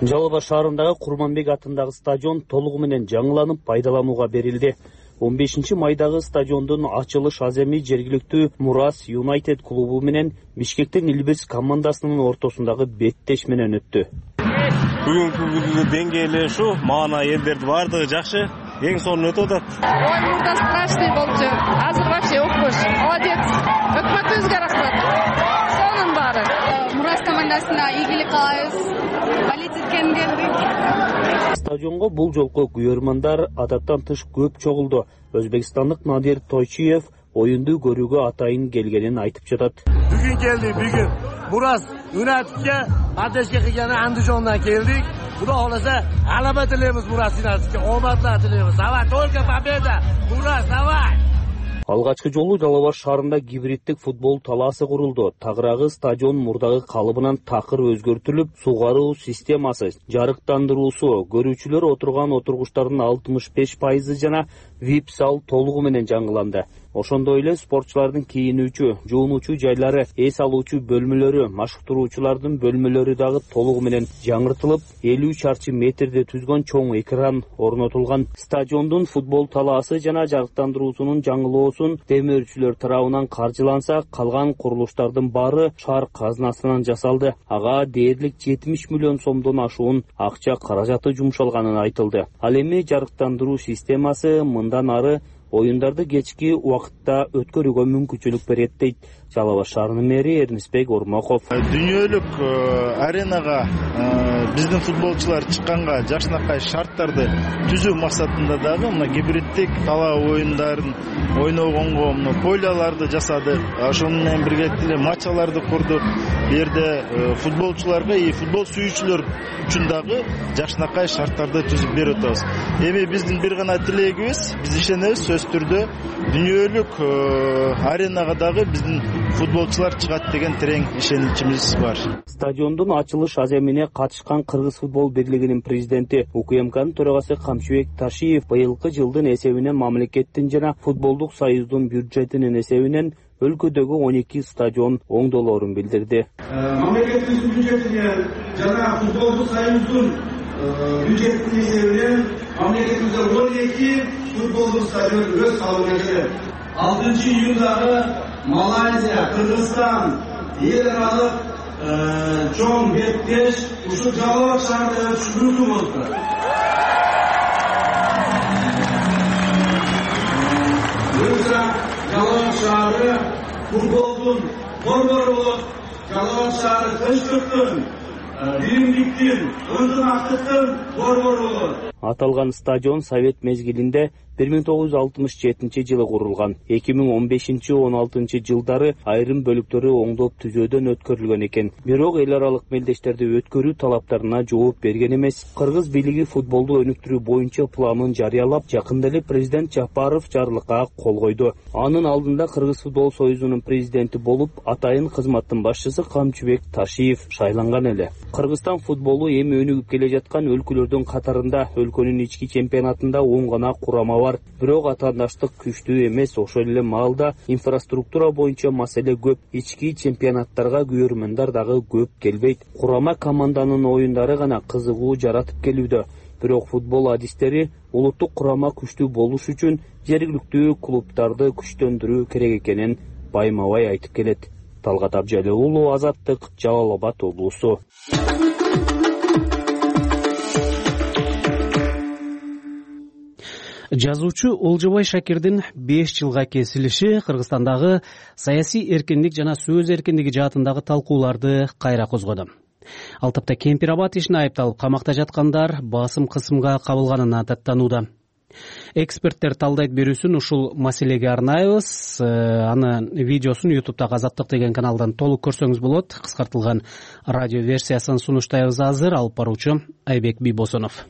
Жалал Абад шаарындагы Курманбек атындагы стадион толугу менен жаңыланып пайдаланууга берилди. 15 майдагы стадиондун ачылыш аземи жергиликтүү Мурас Юнайтед клубу менен Бишкектин Илбирс командасынын ортосундагы беттеш менен өттү. Бүгүнкү күндүн деңгээли ушу, маана элдерди баардыгы жакшы, эң сонун өтүп атат. Ой, мурда страшный болчу. Азыр вообще окуш. Молодец. Өкмөтүбүзгө рахмат. Сонун баары. Мурас командасына ийгилик каалайбыз. Болеть эткенге келдик. Стадионго бул жолку күйөрмандар адаттан тыш көп чогулду. Өзбекстандык Надир Тойчиев оюнду көрүүгө атайын келгенин айтып жатат. Бүгүн келдик, бүгүн Мурас Юнайтедке катнашка кылганы Андижондан келдик. Кудай хооласа, алаба тилейбиз Мурас Юнайтедке, омадлар тилейбиз. Давай, только победа. Мурас, давай. Алгачкы жолу Жалал Абад шаарында гибриддик футбол талаасы курулду. Тагыраагы стадион мурдагы калыбынан такыр өзгөртүлүп, сугаруу системасы, жарыктандыруусу, көрүүчүлөр отурган отургучтардын 65% жана VIP зал толугу менен жаңыланды. Ошондой эле спортчулардын кийинүүчү, жуунуучу жайлары, эс алуучу бөлмөлөрү, машыктыруучулардын бөлмөлөрү дагы толугу менен жаңыртылып, 50 чарчы метрди түзгөн чоң экран орнотулган. Стадиондун футбол талаасы жана жарыктандыруусунун жаңылоосун демөөрчүлөр тарабынан каржыланса, калган курулуштардын баары шаар казынасынан жасалды. Ага дээрлик 70 миллион сомдон ашуун акча каражаты жумшалганын айтылды. Ал эми жарыктандыруу системасы мындан ары оюндарды кечки убакытта өткөрүүгө мүмкүнчүлүк берет дейт Жалал Абад шаарынын мэри Эрнисбек Ормоков. Дүйнөлүк аренага биздин футболчулар чыкканга жакшынакай шарттарды түзүү максатында дагы мына гибриддик талаа оюндарын ойногонго поляларды жасадык. Ошону менен биргеликте эле матчаларды курдук. Бу жерде футболчуларга и футбол сүйүүчүлөр үчүн дагы жакшынакай шарттарды түзүп берип атабыз. Эми биздин бир гана тилегибиз, биз ишенебиз сөзсүз түрдө дүйнөлүк аренага дагы биздин футболчулар чыгат деген терең ишеничибиз бар. Стадиондун ачылыш аземине катышкан Кыргыз футбол бирлигинин президенти УКМКнын төрагасы Камчыбек Ташиев быйылкы жылдын эсебинен мамлекеттин жана футболдук союздун бюджетинин эсебинен өлкөдөгү 12 стадион оңдолоорун билдирди. Мамлекеттин бюджетинен жана футболдук союздун бюджетинин эсебинен мамлекетибизде 12 футболдук стадион өз калыбына келет. 6 июндагы Малайзия, Кыргызстан эл аралык чоң беттеш ушул Жалал Абад шаарында өткөрүлмөкчү болду. Жалал Абад шаары футболдун борбору болуп, Жалал Абад шаары тынчтыктын, биримдиктин, ынтымактыктын борбору болот. Аталган стадион Совет мезгилинде 1967 жылы курулган. 2015-16 жылдары айрым бөлүктөрү оңдоп түзөөдөн өткөрүлгөн экен. Бирок эл аралык мелдештерди өткөрүү талаптарына жооп берген эмес. Кыргыз бийлиги футболду өнүктүрүү боюнча планын жарыялап, жакында эле президент Жапаров жарлыкка кол койду. Анын алдында Кыргыз футбол союзунун президенти болуп, атайын кызматтын башчысы Камчыбек Ташиев шайланган эле. Кыргызстан футболу эми өнүгүп келе жаткан өлкөлөрдүн катарында, өлкөнүн ички чемпионатында 10 гана курама бар. Бирок атаандаштык күчтүү эмес. Ошол эле маалда инфраструктура боюнча маселе көп. Ички чемпионаттарга көрөрмөндөр дагы көп келбейт. Курама команданын оюндары гана кызыгуу жаратып келүүдө. Бирок футбол адистери улуттук курама күчтүү болуш үчүн жергиликтүү клубдарды күчтөндүрүү керек экенин байма-бай айтып келет. Талгат Абжалы уулу, Азаттык, Жалал Абад облусу. Жазуучу Олжобай Шакирдин 5 жылга кесилиши Кыргызстандагы саясий эркиндик жана сөз эркиндиги жаатындагы талкууларды кайра козгоду. Ал тапта Кемпир Абад ишине айыпталып камакта жаткандар басым кысымга кабылганына даттанууда. Эксперттер талдайт берүүсүн ушул маселеге арнайбыз. Анын видеосун YouTube'дагы Азаттык деген каналдан толук көрсөңүз болот. Кыскартылган радио версиясын сунуштайбыз азыр. Алып баруучу Айбек Бийбосонов.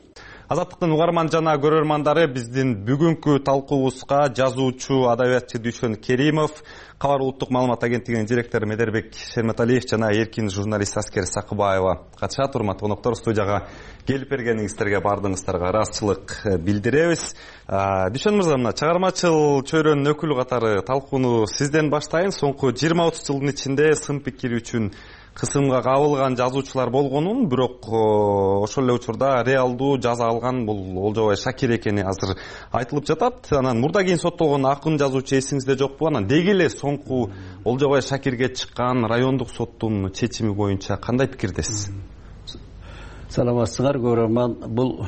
Азаттыктын угарман жана көрөрмандары, биздин бүгүнкү талкуубузга жазуучу, адабиятчы Дүйшөн Керимов, Кабар улуттук маалымат агенттигинин директору Медербек Шерметалиев жана эркин журналист Аскер Сакыбаева катышат. Урматтуу коноктор, студияга келип бергениңиздерге баардыгыңыздарга ыраазычылык билдиребиз. Дүйшөн мырза, мына чыгармачыл чөйрөнүн өкүлү катары талкууну сизден баштайын. Соңку 20-30 жылдын ичинде сын пикир үчүн кысымга кабылган жазуучулар болгонун, бирок ошол эле учурда реалдуу жаза алган бул Олжобай Шакир экени азыр айтылып жатат. Анан мурда кийин соттолгон акын жазуучу эсиңизде жокпу? Анан деги эле соңку Олжобай Шакирге чыккан райондук соттун чечими боюнча кандай пикирдесиз? Саламатсыздар көрөрман, бул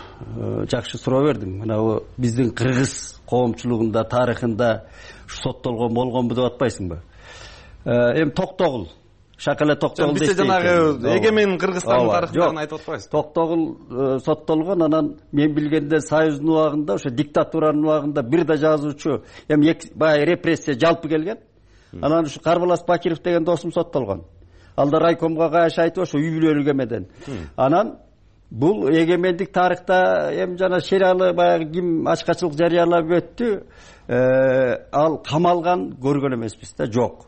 жакшы суроо бердиң. Мына биздин кыргыз коомчулугунда, тарыхында соттолгон болгонбу деп атпайсыңбы? Эми Токтогул Шакала Токтогул дейт. Биз жанагы эгемен Кыргызстандын тарыхын айтып атпайсыз. Токтогул соттолгон, анан мен билгенде Союздун убагында, ошо диктатуранын убагында бир да жазуучу, эми баягы репрессия жалпы келген. Анан ушу Карбалас Бакиров деген досум соттолгон. Ал да райкомго кайшы айтып ошо үй бүлөлүк эмеден. Анан бул эгемендик тарыхта эми жана сериалы баягы ким ачкачылык жарыялап өттү, ал камалган көргөн эмеспиз да, жок.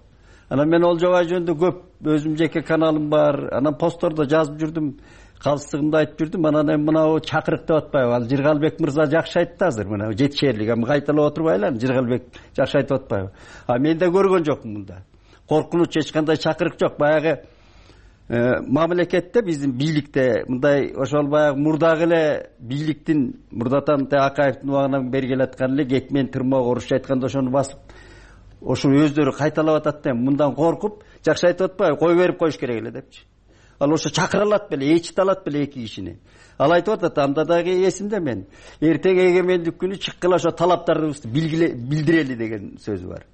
Анан мен Олжобай жөнүндө көп өзүм жеке каналым бар. Анан посттордо жазып жүрдүм. калыстыгымды айтып жүрдүм. Анан эми мынау чакырык деп атпайбы? Ал Жыргалбек мырза жакшы айтты азыр. Мына жетишерлик. Эми кайталап отурбайлы, Жыргалбек жакшы айтып атпайбы? Мен да көргөн жокмун мында. Коркунуч эч кандай чакырык жок. Баягы мамлекетте, биздин бийликте мындай ошол баягы мурдагы эле бийликтин мурдатан Акаевдин убагынан бери келаткан эле экмен тырмоо орусча айтканда ошону басып ошо өздөрү кайталап атат да мындан коркуп жакшы айтып атпайбы? Кой берип коюш керек эле депчи. Ал ошо чакыра алат беле, ээрчите алат беле эки кишини. Ал айтып атат, анда дагы эсимде мен. Эртең эгемендик күнү чыккыла ошо талаптарыбызды билдирели деген сөзү бар.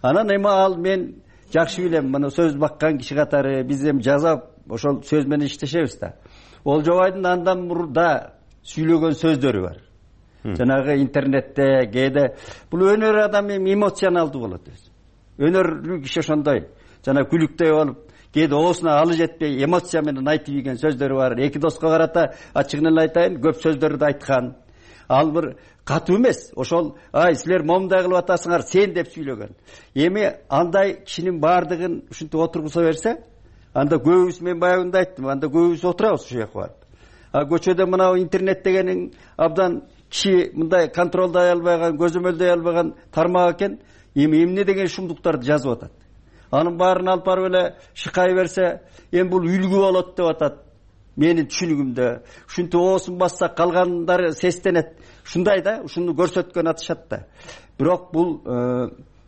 Анан эми ал мен жакшы билем, мына сөз баккан киши катары биз эми жазап ошол сөз менен иштешебиз да. Олжобайдын андан мурда сүйлөгөн сөздөрү бар. Жанагы интернетте, кээде бул өнөр адам эми эмоционалдуу болот өзү. Өнөрлүү киши ошондой. Жана күлүктөй болуп, кээде оосуна алы жетпей эмоция менен айтып ийген сөздөрү бар. Эки доска карата ачыгын эле айтайын, көп сөздөрдү айткан. Ал бир катуу эмес. Ошол силер момундай кылып атасыңар сен деп сүйлөгөн. Эми андай кишинин баардыгын ушинтип отургуза берсе, анда көбүбүз, мен баягында айттым, анда көбүбүз отурабыз ушул жака барып. Көчөдө мына интернет дегенин абдан киши мындай контролдой албаган, көзөмөлдөй албаган тармак экен. Эми эмне деген шумдуктарды жазып атат. Анын баарын алып барып эле шыкай берсе, эми бул үлгү болот деп атат. Менин түшүнүгүмдө ушинтип оосун бассак калгандары сестенет. Ушундай да, ушуну көрсөткөн атышат да. Бирок бул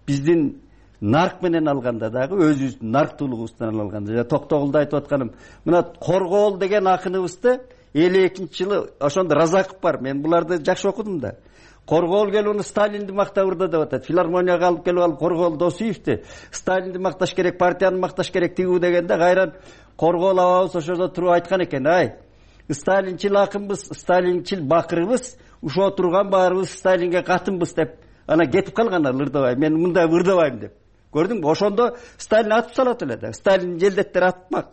биздин нарк менен алганда дагы өзүбүздүн нарктуулугубуздан алганда, Токтогулда айтып атканым, мына Коргоол деген акыныбызды 52-жылы ошондо Разаков бар. Мен буларды жакшы окудум да. Коргоол келип уну Сталинди мактап урду деп атат. Филармонияга алып келип ал Коргоол Досуевди Сталинди макташ керек, партияны макташ керек тигүү дегенде кайран Коргоол абабыз ошодо туруп айткан экен, Сталинчил акынбыз, Сталинчил бакырыбыз, ушо турган баарыбыз Сталинге катынбыз деп ана кетип калгандар ырдабай. Мен мындай ырдабайм деп. Көрдүңбү? Ошондо Сталин атып салат эле да. Сталин желдеттер атмак.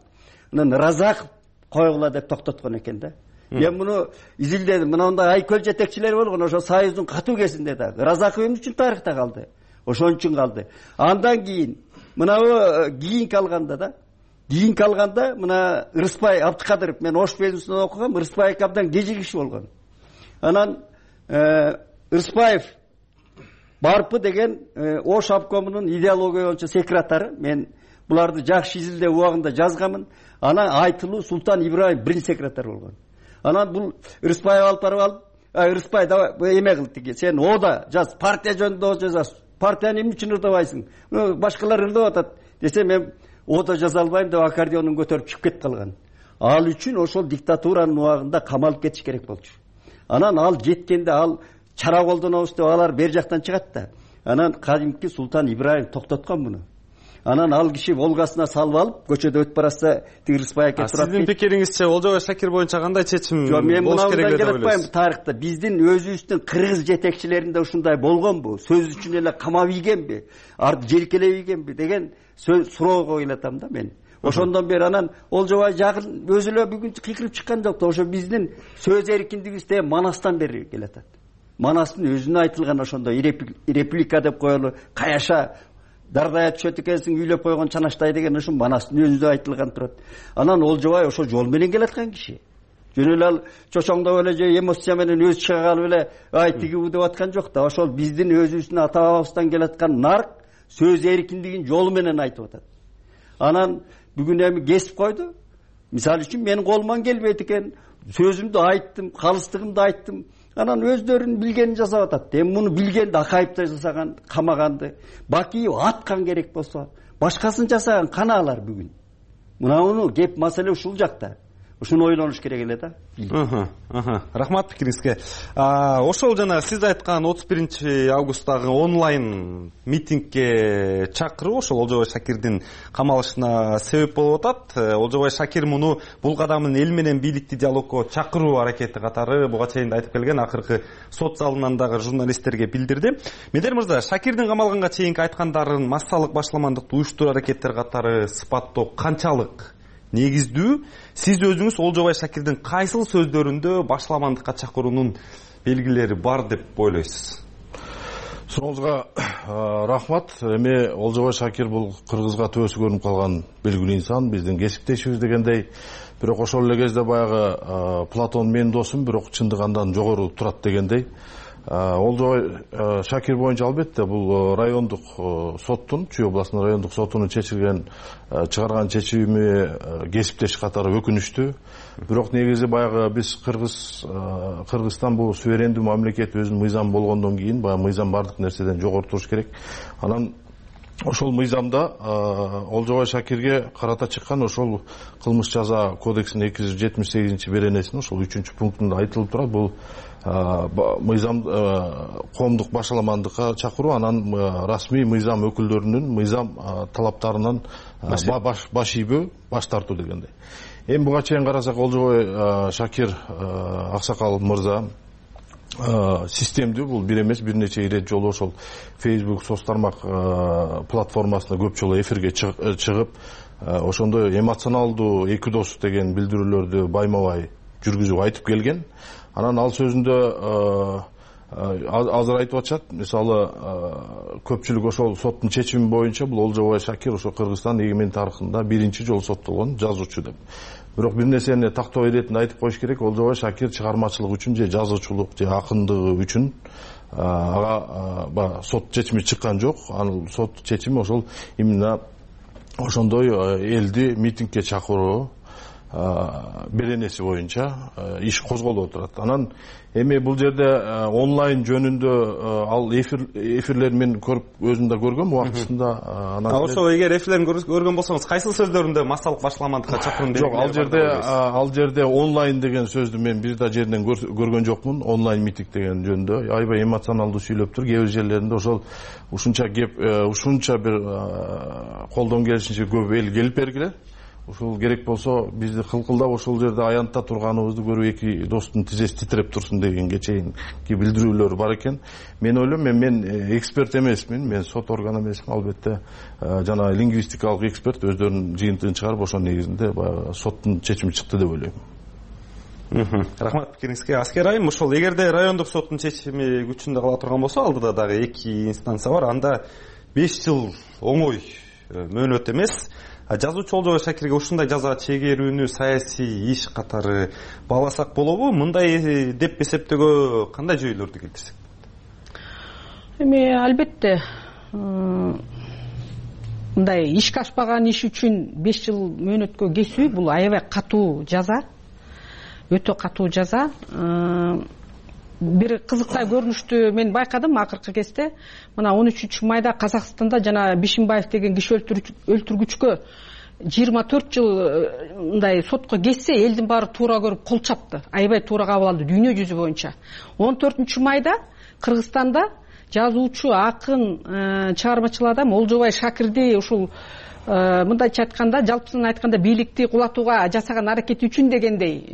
Анан Разаков койгула деп токтоткон экен да. Мен муну изилдедим. Мындай айкөл жетекчилери болгон ошо Союздун катуу кезинде да. Разаков эмне үчүн тарыхта калды? Ошон үчүн калды. Андан кийин мына кийин калганда мына Ырыспай Абдыкадыров, мен Ош безинсинде окугам, Ырыспай абдан кежи киши болгон. Анан Ырыспаев Барпы деген Ош обкомунун идеология боюнча секретары. Мен буларды жакшы изилдеп убагында жазганмын. Анан Айтылуу Султан Ибраев биринчи секретар болгон. Анан бул Ырыспаев алып барып Ырыспай давай эме кыл тиги, сен ода жаз, партия жөнүндө жазасың. Партияны эмне үчүн ырдабайсың? Башкалар ырдап атат десе, мен ода жаза албайм деп аккордеонун көтөрүп чыгып кетип калган. Ал үчүн ошол диктатуранын убагында камалып кетиш керек болчу. Анан ал жеткенде ал чара колдонобуз деп алар бер жактан чыгат да. Анан кадимки Султан Ибраев токтоткон муну. Анан ал киши Волгасына салып алып, көчөдө өтүп баратса Тигирспай кетип турат. Сиздин пикириңизче Олжобай Шакир боюнча кандай чечим болуш керек деп ойлойсуз? Тарыхта биздин өзүбүздүн кыргыз жетекчилеринде ушундай болгонбу? Сөз үчүн эле камап ийгенби? Желкелеп ийгенби деген суроо коюлатам да мен. Ошондон бери анан Олжобай жакын өзү эле бүгүн кыйкырып чыккан жок да. Ошо биздин сөз эркиндигибизде Манастан бери келатат. Манастын өзүнө айтылган ошондой реплика деп коелу, каяша дардая түшөт экенсиң, үйлөп койгон чанаштай деген ошо Манастын өзүндө айтылган турат. Анан Олжобай ошо жол менен келаткан киши. Жөн эле ал чочоңдоп эле же эмоция менен өзү чыга калып эле тигиби деп аткан жок да. Ошол биздин өзүбүздүн ата бабабыздан келаткан нарк сөз эркиндигин жолу менен айтып атат. Анан бүгүн эми кесип койду. Мисалы үчүн менин колуман келбейт экен. Сөзүмдү айттым, калыстыгымды айттым. Анан өздөрүнүн билгенин жасап атат. Эми муну билгенди Акаевди жасаган, камаганды. Бакиев аткан керек болсо, башкасын жасаган кана алар бүгүн. Муну кеп маселе ушул жакта. Ушуну ойлонуш керек эле да. Рахмат пикириңизге. Ошол жана сиз айткан 31 августтагы онлайн митингге чакыруу ошол Олжобай Шакирдин камалышына себеп болуп атат. Олжобай Шакир муну бул кадамын эл менен бийликти диалогко чакыруу аракети катары буга чейин айтып келген, акыркы сот залынан дагы журналисттерге билдирди. Медер мырза, Шакирдин камалганга чейинки айткандарын массалык башламандыкты уюштуруу аракеттер катары сыпаттоо канчалык негиздүү? Сиз өзүңүз Олжобай Шакирдин кайсыл сөздөрүндө башламандыкка чакыруунун белгилери бар деп ойлойсуз? Сурооңузга рахмат. Эми Олжобой Шакир бул кыргызга төбөсү көрүнүп калган белгилүү инсан, биздин кесиптешибиз дегендей. Бирок ошол эле кезде баягы Платон менин досум, бирок чындык андан жогору турат дегендей. Олжобой Шакир боюнча албетте бул райондук соттун, Чүй областынын райондук сотунун чыгарган чечими кесиптеш катары өкүнүчтүү. Бирок негизи баягы биз Кыргызстан бул суверендүү мамлекет, өзүнүн мыйзамы болгондон кийин баягы мыйзам бардык нерседен жогору туруш керек. Анан ошол мыйзамда Олжобой Шакирге карата чыккан ошол кылмыш жаза кодексинин 278 беренесинин ошол 3-пунктунда айтылып турат. Бул мыйзам коомдук башаламандыкка чакыруу, анан расмий мыйзам өкүлдөрүнүн мыйзам талаптарынан баш ийбөө, баш тартуу дегендей. Эми буга чейин карасак, Олжобой Шакир аксакал мырза системдүү, бул бир эмес, бир нече ирет жолу ошол Facebook соц тармак платформасына көп жолу эфирге чыгып, ошондой эмоционалдуу эки дос деген билдирүүлөрдү байма-бай жүргүзүп айтып келген. Анан ал сөзүндө азыр айтып атышат, мисалы көпчүлүк ошол соттун чечими боюнча бул Олжобой Шакир ошо Кыргызстан эгемендик тарыхында биринчи жолу соттолгон жазуучу деп. Бирок бир нерсени тактоо иретинде айтып коюш керек, Олжобой Шакир чыгармачылык үчүн же жазуучулук же акындыгы үчүн ага сот чечими чыккан жок. Анын сот чечими ошол именно ошондой элди митингге чакыруу беренеси боюнча иш козголуп отурат. Анан эми бул жерде онлайн жөнүндө ал эфирлерин мен көрүп өзүм да көргөм убактысында. Ошо эгер эфирлерин көргөн болсоңуз кайсыл сөздөрүндө массалык башаламандыкка чакыруу жок, ал жерде онлайн деген сөздү мен бир да жеринен көргөн жокмун. Онлайн митинг деген жөнүндө аябай эмоционалдуу сүйлөптүр. Кээ бир жерлеринде ошол ушунча бир колдон келишинче көп эл келип бергиле. Ошол керек болсо бизди кылкылдап ошол жерде аянтта турганыбызды көрүп эки достун тизеси титиреп турсун дегенге чейинки билдирүүлөр бар экен. Мен ойлойм, мен эксперт эмесмин, мен сот органы эмесмин, албетте жана лингвистикалык эксперт өздөрүнүн жыйынтыгын чыгарып ошонун негизинде баягы соттун чечими чыкты деп ойлойм. Рахмат пикириңизге. Аскер айым, ошол эгерде райондук соттун чечими күчүндө кала турган болсо, алдыда дагы эки инстанция бар, анда 5 жыл оңой мөөнөт эмес. Жазуучу Олжобой Шакирге ушундай жаза чегерүүнү саясий иш катары бааласак болобу? Мындай деп эсептөөгө кандай жүйөлөрдү келтирсек? Эми албетте мындай ишке ашпаган иш үчүн 5 жыл мөөнөткө кесүү бул аябай катуу жаза. Өтө катуу жаза. Бир кызыктай көрүнүштү мен байкадым акыркы кезде. Мына 13 майда Казакстанда жана Бишимбаев деген киши өлтүргүчкө 24 жыл мындай сотко кетсе, элдин баары туура көрүп кол чапты. Аябай туура кабыл алды дүйнө жүзү боюнча. 14 майда Кыргызстанда жазуучу, акын, чыгармачыл адам Олжобой Шакирди ушул мындайча айтканда, жалпысынан айтканда бийликти кулатууга жасаган аракети үчүн дегендей,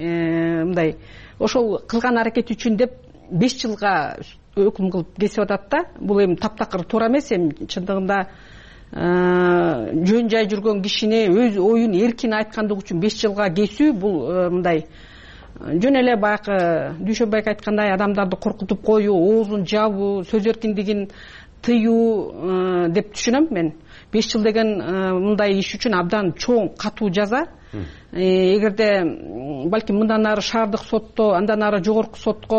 мындай ошол кылган аракети үчүн деп 5 жылга өкүм кылып кесип атат да. Бул эми таптакыр туура эмес. Эми чындыгында жөн жай жүргөн кишини өз оюн эркин айткандыгы үчүн 5 жылга кесүү бул мындай жөн эле баягы Дүйшөнбек айткандай адамдарды коркутуп коюу, оозун жабуу, сөз эркиндигин тыюу деп түшүнөм мен. 5 жыл деген мындай иш үчүн абдан чоң катуу жаза. Эгерде балким мындан ары шаардык сотто, андан ары жогорку сотко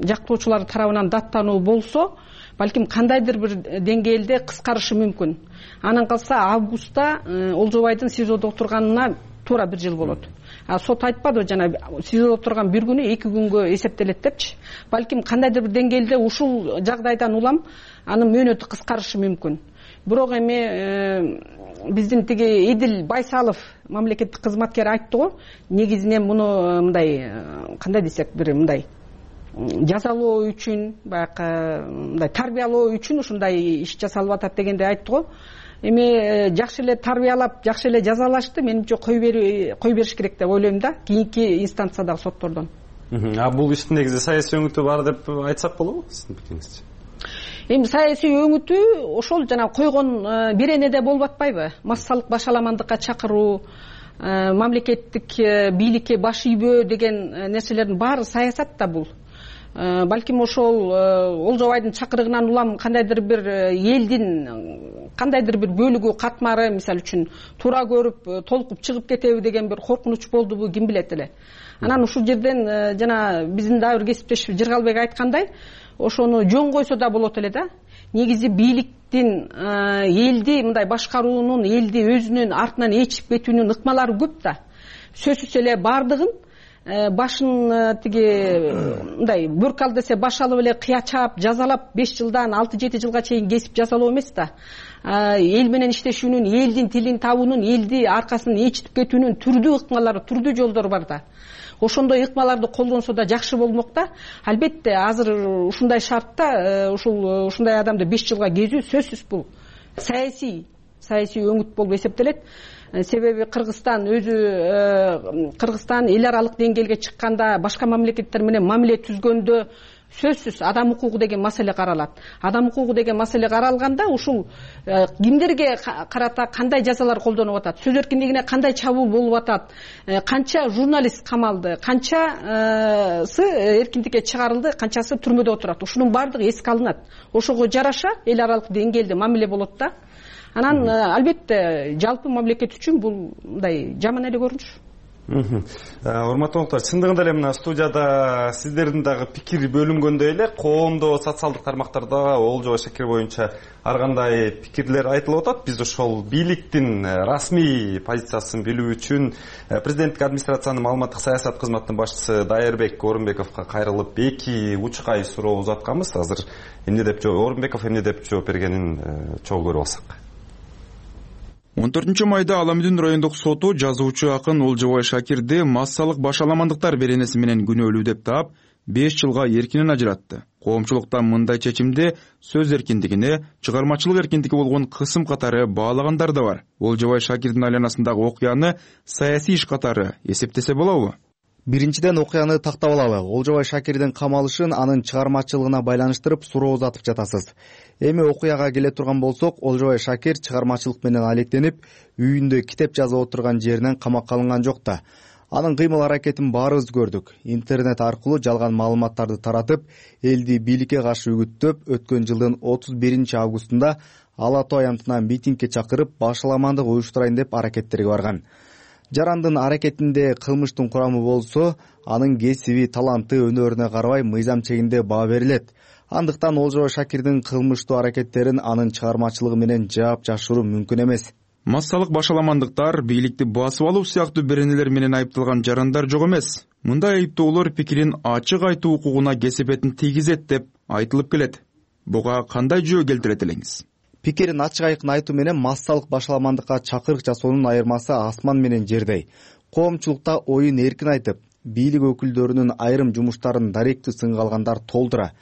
жактоочулар тарабынан даттануу болсо, балким кандайдыр бир деңгээлде кыскарышы мүмкүн. Анан калса августта Олжобайдын СИЗОдо отурганына туура 1 жыл болот. Сот айтпады жана СИЗОдо отурган 1 күнү 2 күнгө эсептелет депчи. Балким кандайдыр бир деңгээлде ушул жагдайдан улам анын мөөнөтү кыскарышы мүмкүн. Бирок эми биздин тиги Эдил Байсалов мамлекеттик кызматкер айтты го, негизинен муну мындай кандай десек, бир мындай жазалоо үчүн, баягы мындай тарбиялоо үчүн ушундай иш жасалып атат дегенде айтты го. Эми жакшы эле тарбиялап, жакшы эле жазалашты, менимче кой бериш керек деп ойлойм да, кийинки инстанциядагы соттордон. Бул иштин негизи саясий өңүтү бар деп айтсак болобу сиздин пикириңизче? Эми саясий өңүтү ошол жана койгон беренеде болуп атпайбы? Массалык башаламандыкка чакыруу, мамлекеттик бийликке баш ийбөө деген нерселердин баары саясат да бул. балким ошол Олжобайдын чакырыгынан улам кандайдыр бир элдин кандайдыр бир бөлүгү катмары мисалы үчүн туура көрүп толкуп чыгып кетеби деген бир коркунуч болдубу ким билет эле. Анан ушул жерден жана биздин дагы бир кесиптешибиз Жыргалбек айткандай ошону жөн койсо да болот эле да. Негизи бийликтин элди мындай башкаруунун элди өзүнүн артынан ээрчип кетүүнүн ыкмалары көп да. Сөзсүз эле бардыгын башын тиги мындай бөрк десе баш алып эле кыячап жазалап 5 жылдан 6-7 жылга чейин кесип жазалоо эмес да. Эл менен иштешүүнүн, элдин тилин табуунун, элди аркасын ээрчитип кетүүнүн түрдүү ыкмалары, түрдүү жолдору бар да. Ошондой ыкмаларды колдонсо да жакшы болмок да. Албетте азыр ушундай шартта ушундай адамды 5 жылга кезүү сөзсүз бул саясий өңүт болуп эсептелет. Себеби Кыргызстан эл аралык деңгээлге чыкканда башка мамлекеттер менен мамиле түзгөндө сөзсүз адам укугу деген маселе каралат. Адам укугу деген маселе каралганда ушул кимдерге карата кандай жазалар колдонуп атат, сөз эркиндигине кандай чабуул болуп атат, канча журналист камалды, канчасы эркиндикке чыгарылды, канчасы түрмөдө отурат. Ушунун баардыгы эске алынат. Ошого жараша эл аралык деңгээлде мамиле болот да. Анан албетте жалпы мамлекет үчүн бул мындай жаман эле көрүнүш. Урматтуу коноктору, чындыгында эле мына студияда сиздердин дагы пикир бөлүнгөндөй эле коомдо, социалдык тармактарда Олжобай Шакир боюнча ар кандай пикирлер айтылып атат. Биз ошол бийликтин расмий позициясын билүү үчүн президенттик администрациянын маалыматтык саясат кызматынын башчысы Дайырбек Орунбековго кайрылып 2 учкай суроо узатканбыз. Азыр Орунбеков эмне деп жооп бергенин чогуу көрүп алсак. 14 майда Ала Мүдүн райондук соту жазуучу акын Олжобай Шакирди массалык башаламандыктар беренеси менен күнөөлүү деп таап 5 жылга эркинен ажыратты. Коомчулуктан мындай чечимди сөз эркиндигине, чыгармачылык эркиндиги болгон кысым катары баалагандар да бар. Олжобай Шакирдин айланасындагы окуяны саясий иш катары эсептесе болобу? Биринчиден окуяны тактап алалы. Олжобай Шакирдин камалышын анын чыгармачылыгына байланыштырып суроо узатып жатасыз. Эми окуяга келе турган болсок, Олжобай Шакир чыгармачылык менен алектенип, үйүндө китеп жазып отурган жеринен камакка алынган жок да. Анын кыймыл аракетин баарыбыз көрдүк. Интернет аркылуу жалган маалыматтарды таратып, элди бийликке каршы үгүттөп, өткөн жылдын 31 августунда Ала Тоо аянтынан митингге чакырып, башаламандык уюштурайын деп аракеттерге барган. Жарандын аракетинде кылмыштын курамы болсо, анын кесиби, таланты, өнөрүнө карабай мыйзам чегинде баа берилет. Андыктан Олжобай Шакирдин кылмыштуу аракеттерин анын чыгармачылыгы менен жаап жашыруу мүмкүн эмес. Массалык башаламандыктар, бийликти басып алуу сыяктуу беренелер менен айыпталган жарандар жок эмес. Мындай айыптоолор пикирин ачык айтуу укугуна кесепетин тийгизет деп айтылып келет. Буга кандай жөө келтирет элеңиз? Пикирин ачык айкын айтуу менен массалык башаламандыкка чакырык жасоонун айырмасы асман менен жердей. Коомчулукта оюн эркин айтып, бийлик өкүлдөрүнүн айрым жумуштарын даректүү сынга алгандар толтура.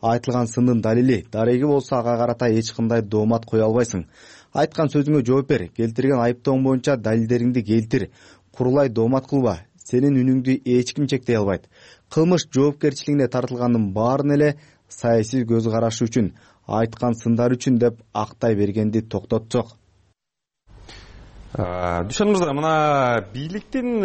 Айтылган сындын далили, дареги болсо ага карата эч кандай доомат кое албайсың. Айткан сөзүңө жооп бер, келтирген айыптооң боюнча далилдериңди келтир. Курулай доомат кылба. Сенин үнүңдү эч ким чектей албайт. Кылмыш жоопкерчилигине тартылгандын баарын эле саясий көз карашы үчүн, айткан сындар үчүн деп актай бергенди токтотсок. Дүйшөнүмүздө мына бийликтин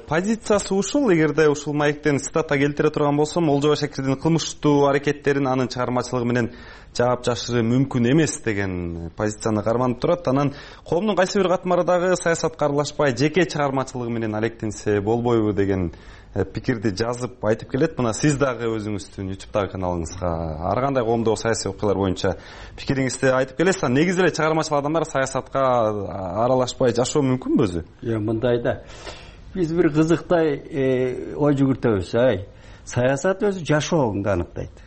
позициясы ушул. Эгерде ушул маектен цитата келтире турган болсом, Олжобай Шакирдин кылмыштуу аракеттерин анын чыгармачылыгы менен жаап жашыруу мүмкүн эмес деген позицияны карманып турат. Анан коомдун кайсы бир катмары дагы саясатка аралашпай жеке чыгармачылыгы менен алектенсе болбойбу деген пикирди жазып айтып келет. Мына сиз дагы өзүңүздүн YouTube'дагы каналыңызга ар кандай коомдогу саясий окуялар боюнча пикириңизди айтып келесиз. Негизи эле чыгармачыл адамдар саясатка аралашпай жашоо мүмкүнбү өзү? Мындай да. Биз бир кызыктай ой жүгүртөбүз. Саясат өзү жашооңду аныктайт.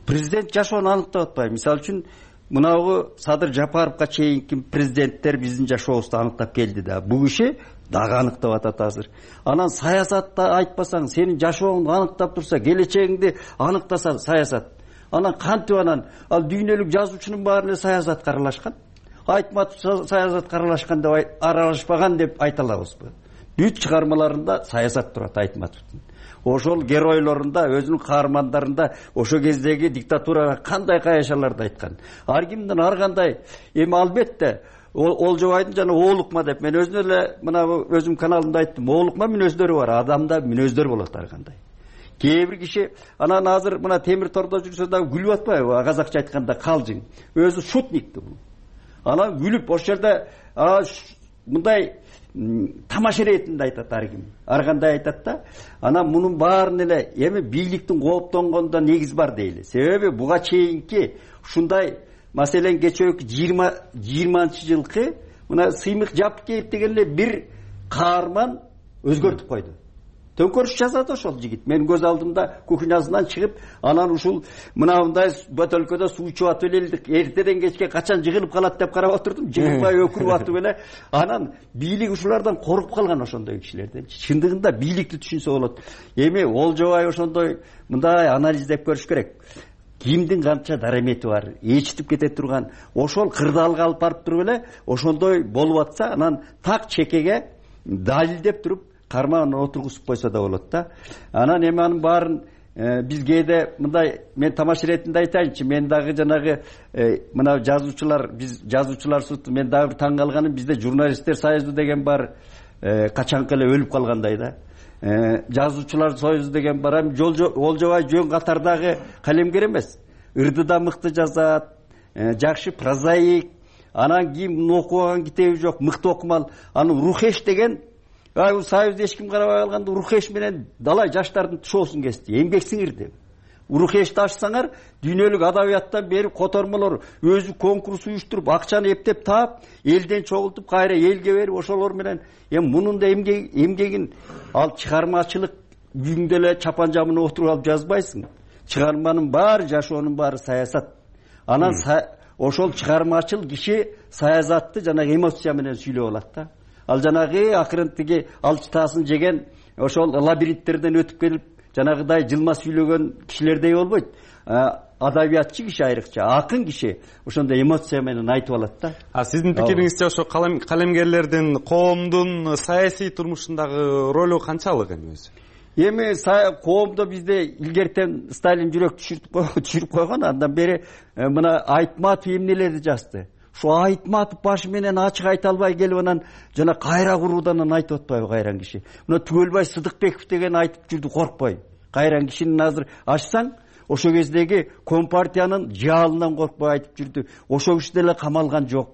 Президент жашоону аныктап атпайбы? Мисалы үчүн мынагы Садыр Жапаровго чейинки президенттер биздин жашообузду аныктап келди да. Бул киши дагы аныктап атат азыр. Анан саясатта айтпасаң, сенин жашооңду аныктап турса, келечегиңди аныктаса саясат. Анан кантип анан ал дүйнөлүк жазуучунун баарына саясат аралашкан? Айтматов саясат аралашпаган деп айта алабызбы? Бүт чыгармаларында саясат турат Айтматовдун. Ошол геройлорунда, өзүнүн каармандарында ошо кездеги диктатурага кандай каяшаларды айткан. Ар кимдин ар кандай эми албетте Олжобайдын жана оолукма деп мен өзүм эле мына өзүм каналымда айттым. Оолукма мүнөздөрү бар, адамда мүнөздөр болот ар кандай. кээ бир киши анан азыр мына темир тордо жүрсө дагы күлүп атпайбы, казакча айтканда калжың, өзү шутникти бул. Анан күлүп ошол жерде мындай тамаша иретинде айтат ар ким, ар кандай айтат да. Анан мунун баарын эле эми бийликтин кооптонгонунда негиз бар дейли. Себеби буга чейинки ушундай маселен кечээки 20-жылкы мына Сыймык Жапкеев деген эле бир каарман өзгөртүп койду. Төңкөрүш жасады ошол жигит. Мен көз алдымда кухнясынан чыгып, анан ушул мындай бөтөлкөдө суу ичип атып элдик. Эртеден кечке качан жыгылып калат деп карап отурдум. Жыгылбай өкүрүп атып эле. Анан бийлик ушулардан коркуп калган ошондой кишилерден. Чындыгында бийликти түшүнсө болот. Эми Олжобай ошондой мындай анализдеп көрүш керек. Кимдин канча дарамети бар, ээрчитип кете турган, ошол кырдаалга алып барып туруп эле ошондой болуп атса, анан так чекеге далилдеп туруп кармаан отургузуп койсо да болот да. Анан эми анын баарын биз кээде мындай, мен тамаш иретинде айтайынчы, мен дагы жанагы мына жазуучулар, биз жазуучулар суту, мен дагы бир таң калганым, бизде журналисттер союзу деген бар, качанкы эле өлүп калгандай да. Жазуучулар союзу деген бар. Олжобай жөн катардагы калемгер эмес. Ырдыда мыкты жазат, жакшы прозаик, анан кийин окубаган китеби жок, мыкты окумал. Анын Рухеш деген, бул союзду эч ким карабай калганда Рухеш менен далай жаштардын тушоосун кести, эмгек сиңирди. Рухешти ачсаңар, дүйнөлүк адабияттан бери котормолор өзү конкурс уюштуруп, акчаны эптеп таап, элден чогултуп, кайра элге берип, ошолор менен эми мунун да эмгегин ал чыгармачылык үйүңдө эле чапан жамына отуруп алып жазбайсың. Чыгарманын баары, жашоонун баары саясат. Анан ошол чыгармачыл киши саясатты жанагы эмоция менен сүйлөп алат да. Ал жанагы акырын тиги алчытаасын жеген ошол лабиринттерден өтүп келип жанагыдай жылма сүйлөгөн кишилердей болбойт. Адабиятчы киши айрыкча, акын киши ошондой эмоция менен айтып алат да. Сиздин пикириңизче ошо калемгерлердин коомдун саясий турмушундагы ролу канчалык эми өзү? Эми коомдо бизде илгертен Сталин жүрөк түшүрүп койгон, андан бери мына Айтматов эмнелерди жазды. Шу Айтматов башы менен ачык айта албай келип анан жана кайра куруудан айтып атпайбы кайран киши. Мына Түгөлбай Сыдыкбеков деген айтып жүрдү, коркпой. Кайран кишинин азыр ачсаң, ошо кездеги Компартиянын жаалынан коркпой айтып жүрдү. Ошо киши деле камалган жок.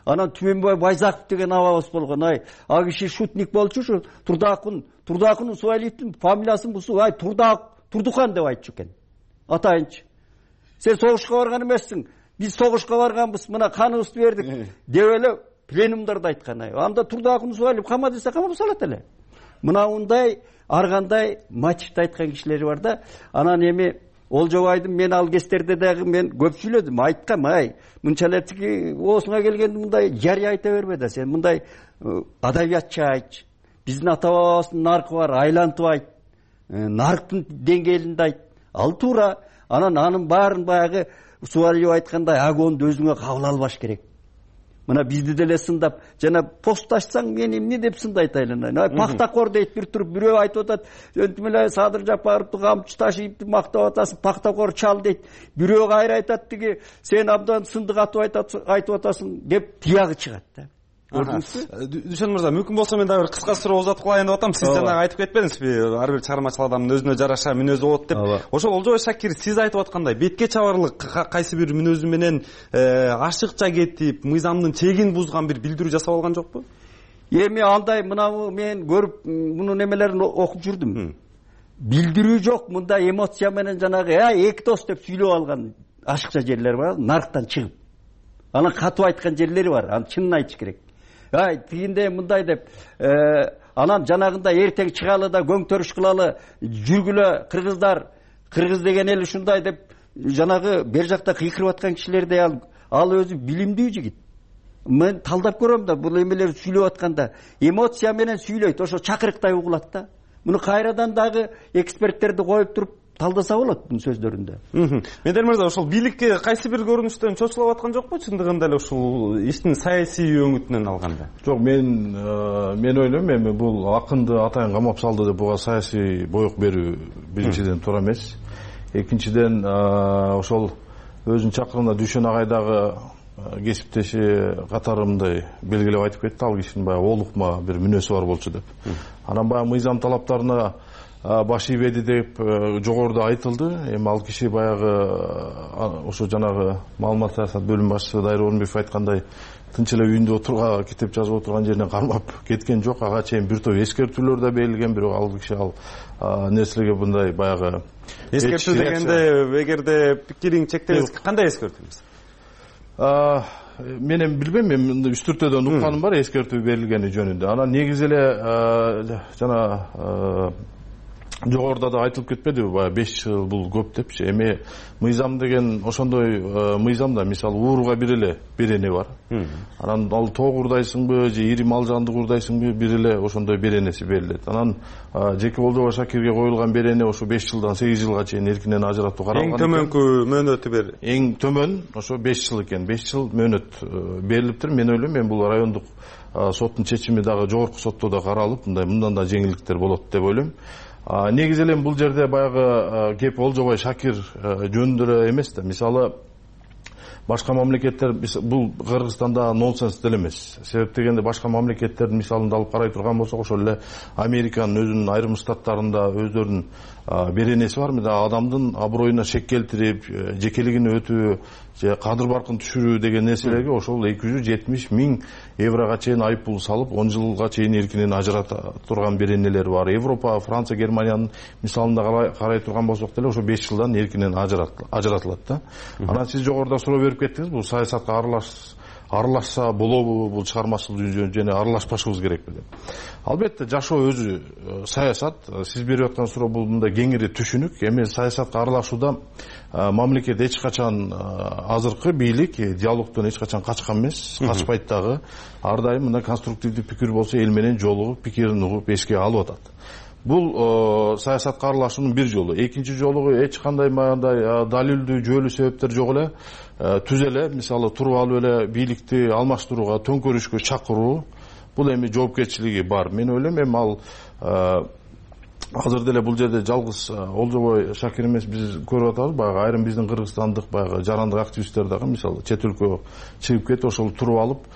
Анан Түмөнбай Байзаков деген абабыз болгон. А киши шутник болчу, ушу Турдакун Суалиевдин фамилиясын бусу, Турдухан деп айтчу экен. Атайынчы. Сен согушка барган эмессиң. Биз согушка барганбыз, мына каныбызды бердик деп эле пленумдарда айткан. Анда Турдакун Суалиев кама десе камап салат эле. Мына ундай ар кандай мотивди айткан кишилери бар да. Анан эми Олжобайдын мен ал кездерде дагы мен көп сүйлөдүм, айткам, мынчалык оосуңа келгенде мындай жарый айта бербе да, сен мындай адабиятчы айтчы. Биздин ата бабабыздын наркы бар, айлантып айт. Нарктын деңгээлинде айт. Ал туура. Анын баарын баягы Суалиев айткандай агонду өзүңө кабыл албаш керек. Мына бизди деле сындап, жана пост ачсаң мен эмне деп сындайт айланайын. Пактакор дейт бир туруп, бирөө айтып атат, өнтүм эле Садыр Жапаровду камчы ташыйып мактап атасың, пактакор чал дейт. Бирөө кайра айтат тиги, сен абдан сындык айтып атасың деп тиягы чыгат да. Көрдүңүзбү? Дүшөн мырза, мүмкүн болсо мен дагы бир кыска суроо узатып кылайын деп атам. Сиз жанагы айтып кетпедиңизби? Ар бир чыгармачыл адамдын өзүнө жараша мүнөзү болот деп. Ошол Олжобай Шакир сиз айтып аткандай бетке чабарлык кайсы бир мүнөзү менен ашыкча кетип, мыйзамдын чегин бузган бир билдирүү жасап алган жокпу? Эми андай мынабу мен көрүп мунун эмелерин окуп жүрдүм. Билдирүү жок, мында эмоция менен жанагы эки дос деп сүйлөп алган ашыкча жерлер бар, нарктан чыгып. Анан катып айткан жерлери бар, анын чынын айтыш керек. Тигинде мындай деп, анан жанагында эртең чыгалы да көңтөрүш кылалы, жүргүлө кыргыз деген эл ушундай деп жанагы бер жакта кыйкырып аткан кишилердей ал өзү билимдүү жигит. Мен талдап көрөм да бул эмелерди сүйлөп атканда эмоция менен сүйлөйт, ошо чакырыктай угулат да. Муну кайрадан дагы эксперттерди коюп туруп талдаса болот бунун сөздөрүндө. Медер мырза, ошол бийликке кайсы бир көрүнүштөн чочулап аткан жокпу? Чындыгында эле ушул иштин саясий өңүтүнөн алганда. Жок, мен ойлойм, эми бул акынды атайын камап салды деп буга саясий боек берүү биринчиден туура эмес. Экинчиден ошол өзүнүн чакырында Дүшөн агайдагы кесиптеши катарымдай белгилеп айтып кетти, ал кишинин баягы олукма бир мүнөзү бар болчу деп. Анан баягы мыйзам талаптарына баш ийбеди деп жогоруда айтылды. Эми ал киши баягы ошо жанагы маалымат саясат бөлүм башчысы Дайыр Орунбеков айткандай тынч эле үйүндө отурга китеп жазып отурган жеринен кармап кеткен жок. Ага чейин бир топ эскертүүлөр да берилген, бирок ал киши нерселерге мындай баягы эскертүү дегенде эгерде пикириң чектелсе кандай эскертүү? Мен эми билбейм, мен үстүртөдөн укканым бар эскертүү берилгени жөнүндө. Анан негизи эле жана жогоруда да айтылып кетпедиби, баягы 5 жыл бул көп депчи. Эми мыйзам деген ошондой мыйзамда мисалы ууруга бир эле берене бар. Анан ал тоог урдайсыңбы же ири мал жанды урдайсыңбы, бир эле ошондой беренеси берилет. Анан Жеке Олжобай Шакирге коюлган берене ошо 5 жылдан 8 жылга чейин эркинен ажыратуу каралган. Эң төмөнкү мөөнөтү бер. Эң төмөн ошо 5 жыл экен. 5 жыл мөөнөт берилиптир. Мен ойлойм, мен бул райондук соттун чечими дагы жогорку сотто да каралып, мындан да жеңилдиктер болот деп ойлойм. Негизи эле бул жерде баягы кеп Олжобай Шакир жөнүндө эле эмес да. Мисалы башка мамлекеттер, бул Кыргызстанда нонсенс деле эмес. Себеп дегенде башка мамлекеттердин мисалында алып карай турган болсок, ошол эле Американын өзүнүн айрым штаттарында өздөрүнүн беренеси бар. Мында адамдын аброюна шек келтирип, жекелигин өтүү же кадыр баркын түшүрүү деген нерселерге ошол 270 000 еврога чейин айыппул салып, 10 жылга чейин эркинен ажырата турган беренелер бар. Европа, Франция, Германиянын мисалында карай турган болсок деле ошо 5 жылдан эркинен ажыратылат да. Анан сиз жогоруда суроо берип кеттиңиз, бул саясатка аралашса болобу, бул чыгармачылык жана аралашпашыбыз керекпи деп. Албетте жашоо өзү саясат. Сиз берип аткан суроо бул мындай кеңири түшүнүк. Эми саясатка аралашууда мамлекет эч качан азыркы бийлик диалогдон эч качан качкан эмес, качпайт дагы. Ар дайым мындай конструктивдүү пикир болсо эл менен жолугуп, пикирин угуп эске алып атат. Бул саясатка аралашуунун бир жолу. Экинчи жолу эч кандай мындай далилдүү, жөлүү себептер жок эле түз эле, мисалы туруп алып эле бийликти алмаштырууга, төңкөрүшкө чакыруу, бул эми жоопкерчилиги бар. Мен ойлойм, эми ал азыр деле бул жерде жалгыз Олжобай Шакир эмес, биз көрүп атабыз, баягы айрым биздин кыргызстандык баягы жарандык активисттер дагы мисалы чет өлкөгө чыгып кетип, ошол туруп алып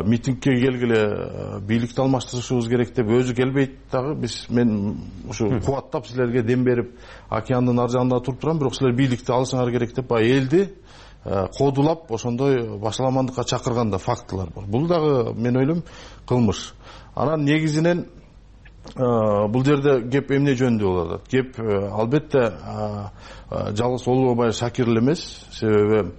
митингке келгиле бийликти алмаштырышыбыз керек деп өзү келбейт дагы. Мен ушу кубаттап силерге дем берип океандын ар жагында туруп турам, бирок силер бийликти алышыңар керек деп баягы элди кодулап ошондой башаламандыкка чакырган да фактылар бар. Бул дагы мен ойлойм кылмыш. Анан негизинен бул жерде кеп эмне жөнүндө болуп атат? Кеп албетте жалгыз Олжобай Шакир эле эмес, себеби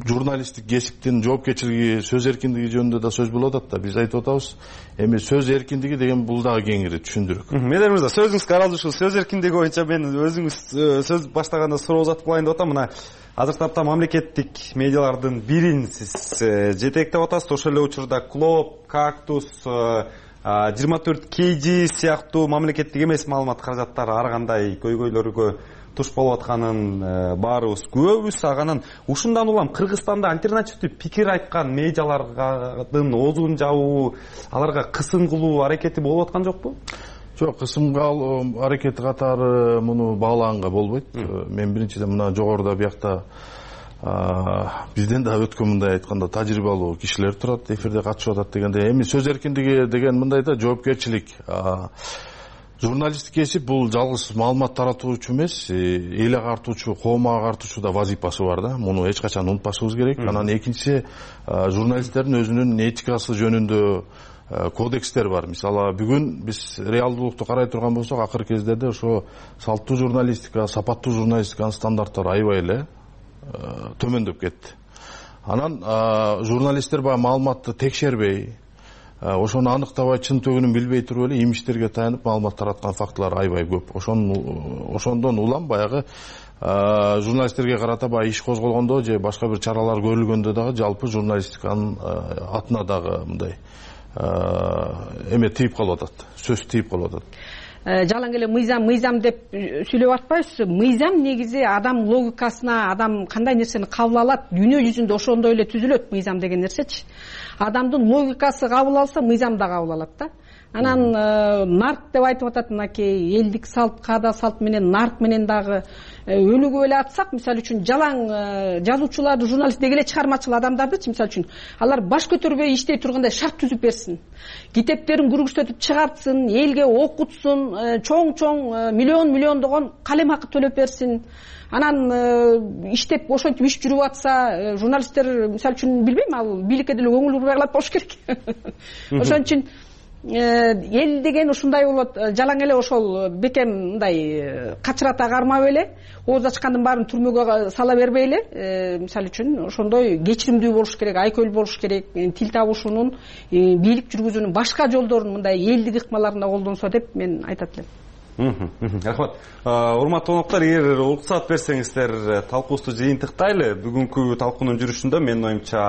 журналисттик кесиптин жоопкерчилиги, сөз эркиндиги жөнүндө да сөз болуп атат да. Биз айтып атабыз, эми сөз эркиндиги деген бул дагы кеңири түшүндүрүк. Мелер мырза, сөзүңүзгө аралашуу, сөз эркиндиги боюнча мен өзүңүз сөз баштаганда суроо uzатып кылайын деп атам. Мына азыркы тапта мамлекеттик медиалардын бирин сиз жетектеп атасыз. Ошол эле учурда Клоп, Кактус, 24 KG сыяктуу мамлекеттик эмес маалымат каражаттары ар кандай көйгөйлөргө туш болуп атканын баарыбыз күбөбүз. Анан ушундан улам Кыргызстанда альтернативдүү пикир айткан медиалардын оозун жабуу, аларга кысым кылуу аракети болуп аткан жокпу? Жок, кысымга алуу аракети катары муну баалаганга болбойт. Мен биринчиден мына жогоруда биякта бизден да өткөн мындай айтканда тажрыйбалуу кишилер турат, эфирде катышып атат дегенде. Эми сөз эркиндиги деген мындай да жоопкерчилик. Журналисттик кесип бул жалгыз маалымат таратуучу эмес, эл агартуучу, коом агартуучу да вазипасы бар да. Муну эч качан унутпашыбыз керек. Анан экинчиси, журналисттердин өзүнүн этикасы жөнүндө кодекстер бар. Мисалы, бүгүн биз реалдуулукту карай турган болсок, акыркы кездерде ошо салттуу журналистика, сапаттуу журналистиканын стандарттары аябай эле төмөндөп кетти. Анан журналисттер баягы маалыматты текшербей, ошону аныктабай, чын төгүнүн билбей туруп эле имичтерге таянып маалымат тараткан фактылар аябай көп. Ошондон улам баягы журналисттерге карата баягы иш козголгондо же башка бир чаралар көрүлгөндө дагы жалпы журналистиканын атына дагы мындай эме тийип калып атат, сөз тийип калып атат. Жалаң эле мыйзам деп сүйлөп атпайбызбы? Мыйзам негизи адам логикасына, адам кандай нерсени кабыл алат, дүйнө жүзүндө ошондой эле түзүлөт мыйзам деген нерсечи. Адамдын логикасы кабыл алса, мыйзам да кабыл алат да. анан нарк деп айтып атат мынакей элдик салт, каада салт менен нарк менен дагы өнүгүп эле атсак, мисалы үчүн жалаң жазуучуларды, журналист деги эле чыгармачыл адамдардычы, мисалы үчүн алар баш көтөрбөй иштей тургандай шарт түзүп берсин, китептерин көргөзтүп чыгартсын, элге окутсун, чоң миллиондогон калем акы төлөп берсин. Анан иштеп ошентип иш жүрүп атса, журналисттер мисалы үчүн билбейм, ал бийликке деле көңүл бурбай калат болуш керек. Ошон үчүн эл деген ушундай болот, жалаң эле ошол бекем мындай качырата кармап эле, ооз ачкандын баарын түрмөгө сала бербей эле, мисалы үчүн ошондой кечиримдүү болуш керек, айкөл болуш керек, тил табышуунун, бийлик жүргүзүүнүн башка жолдорун, мындай элдик ыкмаларында колдонсо деп мен айтат элем. Рахмат. Урматтуу коноктор, эгер уруксат берсеңиздер, талкуубузду жыйынтыктайлы. Бүгүнкү талкуунун жүрүшүндө менин оюмча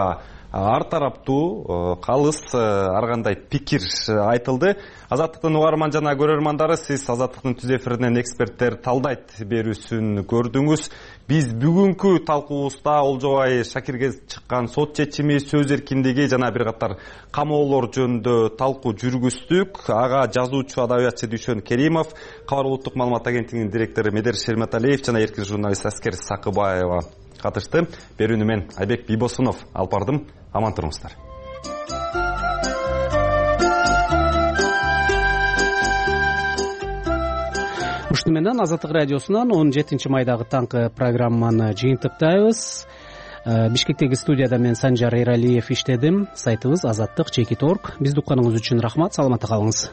ар тараптуу, калыс ар кандай пикир айтылды. Азаттыктын угарман жана көрөрмандары, сиз Азаттыктын түз эфиринен эксперттер талдайт берүүсүн көрдүңүз. Биз бүгүнкү талкуубузда Олжобай Шакирге чыккан сот чечими, сөз эркиндиги жана бир катар камоолор жөнүндө талкуу жүргүздүк. Ага жазуучу, адабиятчы Дүйшөн Керимов, Кабар улуттук маалымат агенттигинин директору Медер Шерметалиев жана эркин журналист Аскер Сакыбаева катышты. Берүүнү мен Айбек Бийбосунов алып бардым. Аман туруңуздар. Ушуну менен Азаттык радиосунан 17-майдагы таңкы программаны жыйынтыктайбыз. Бишкектеги студияда мен Санжар Эралиев иштедим. Сайтыбыз azattik.org. Бизди укканыңыз үчүн рахмат. Саламатта калыңыз.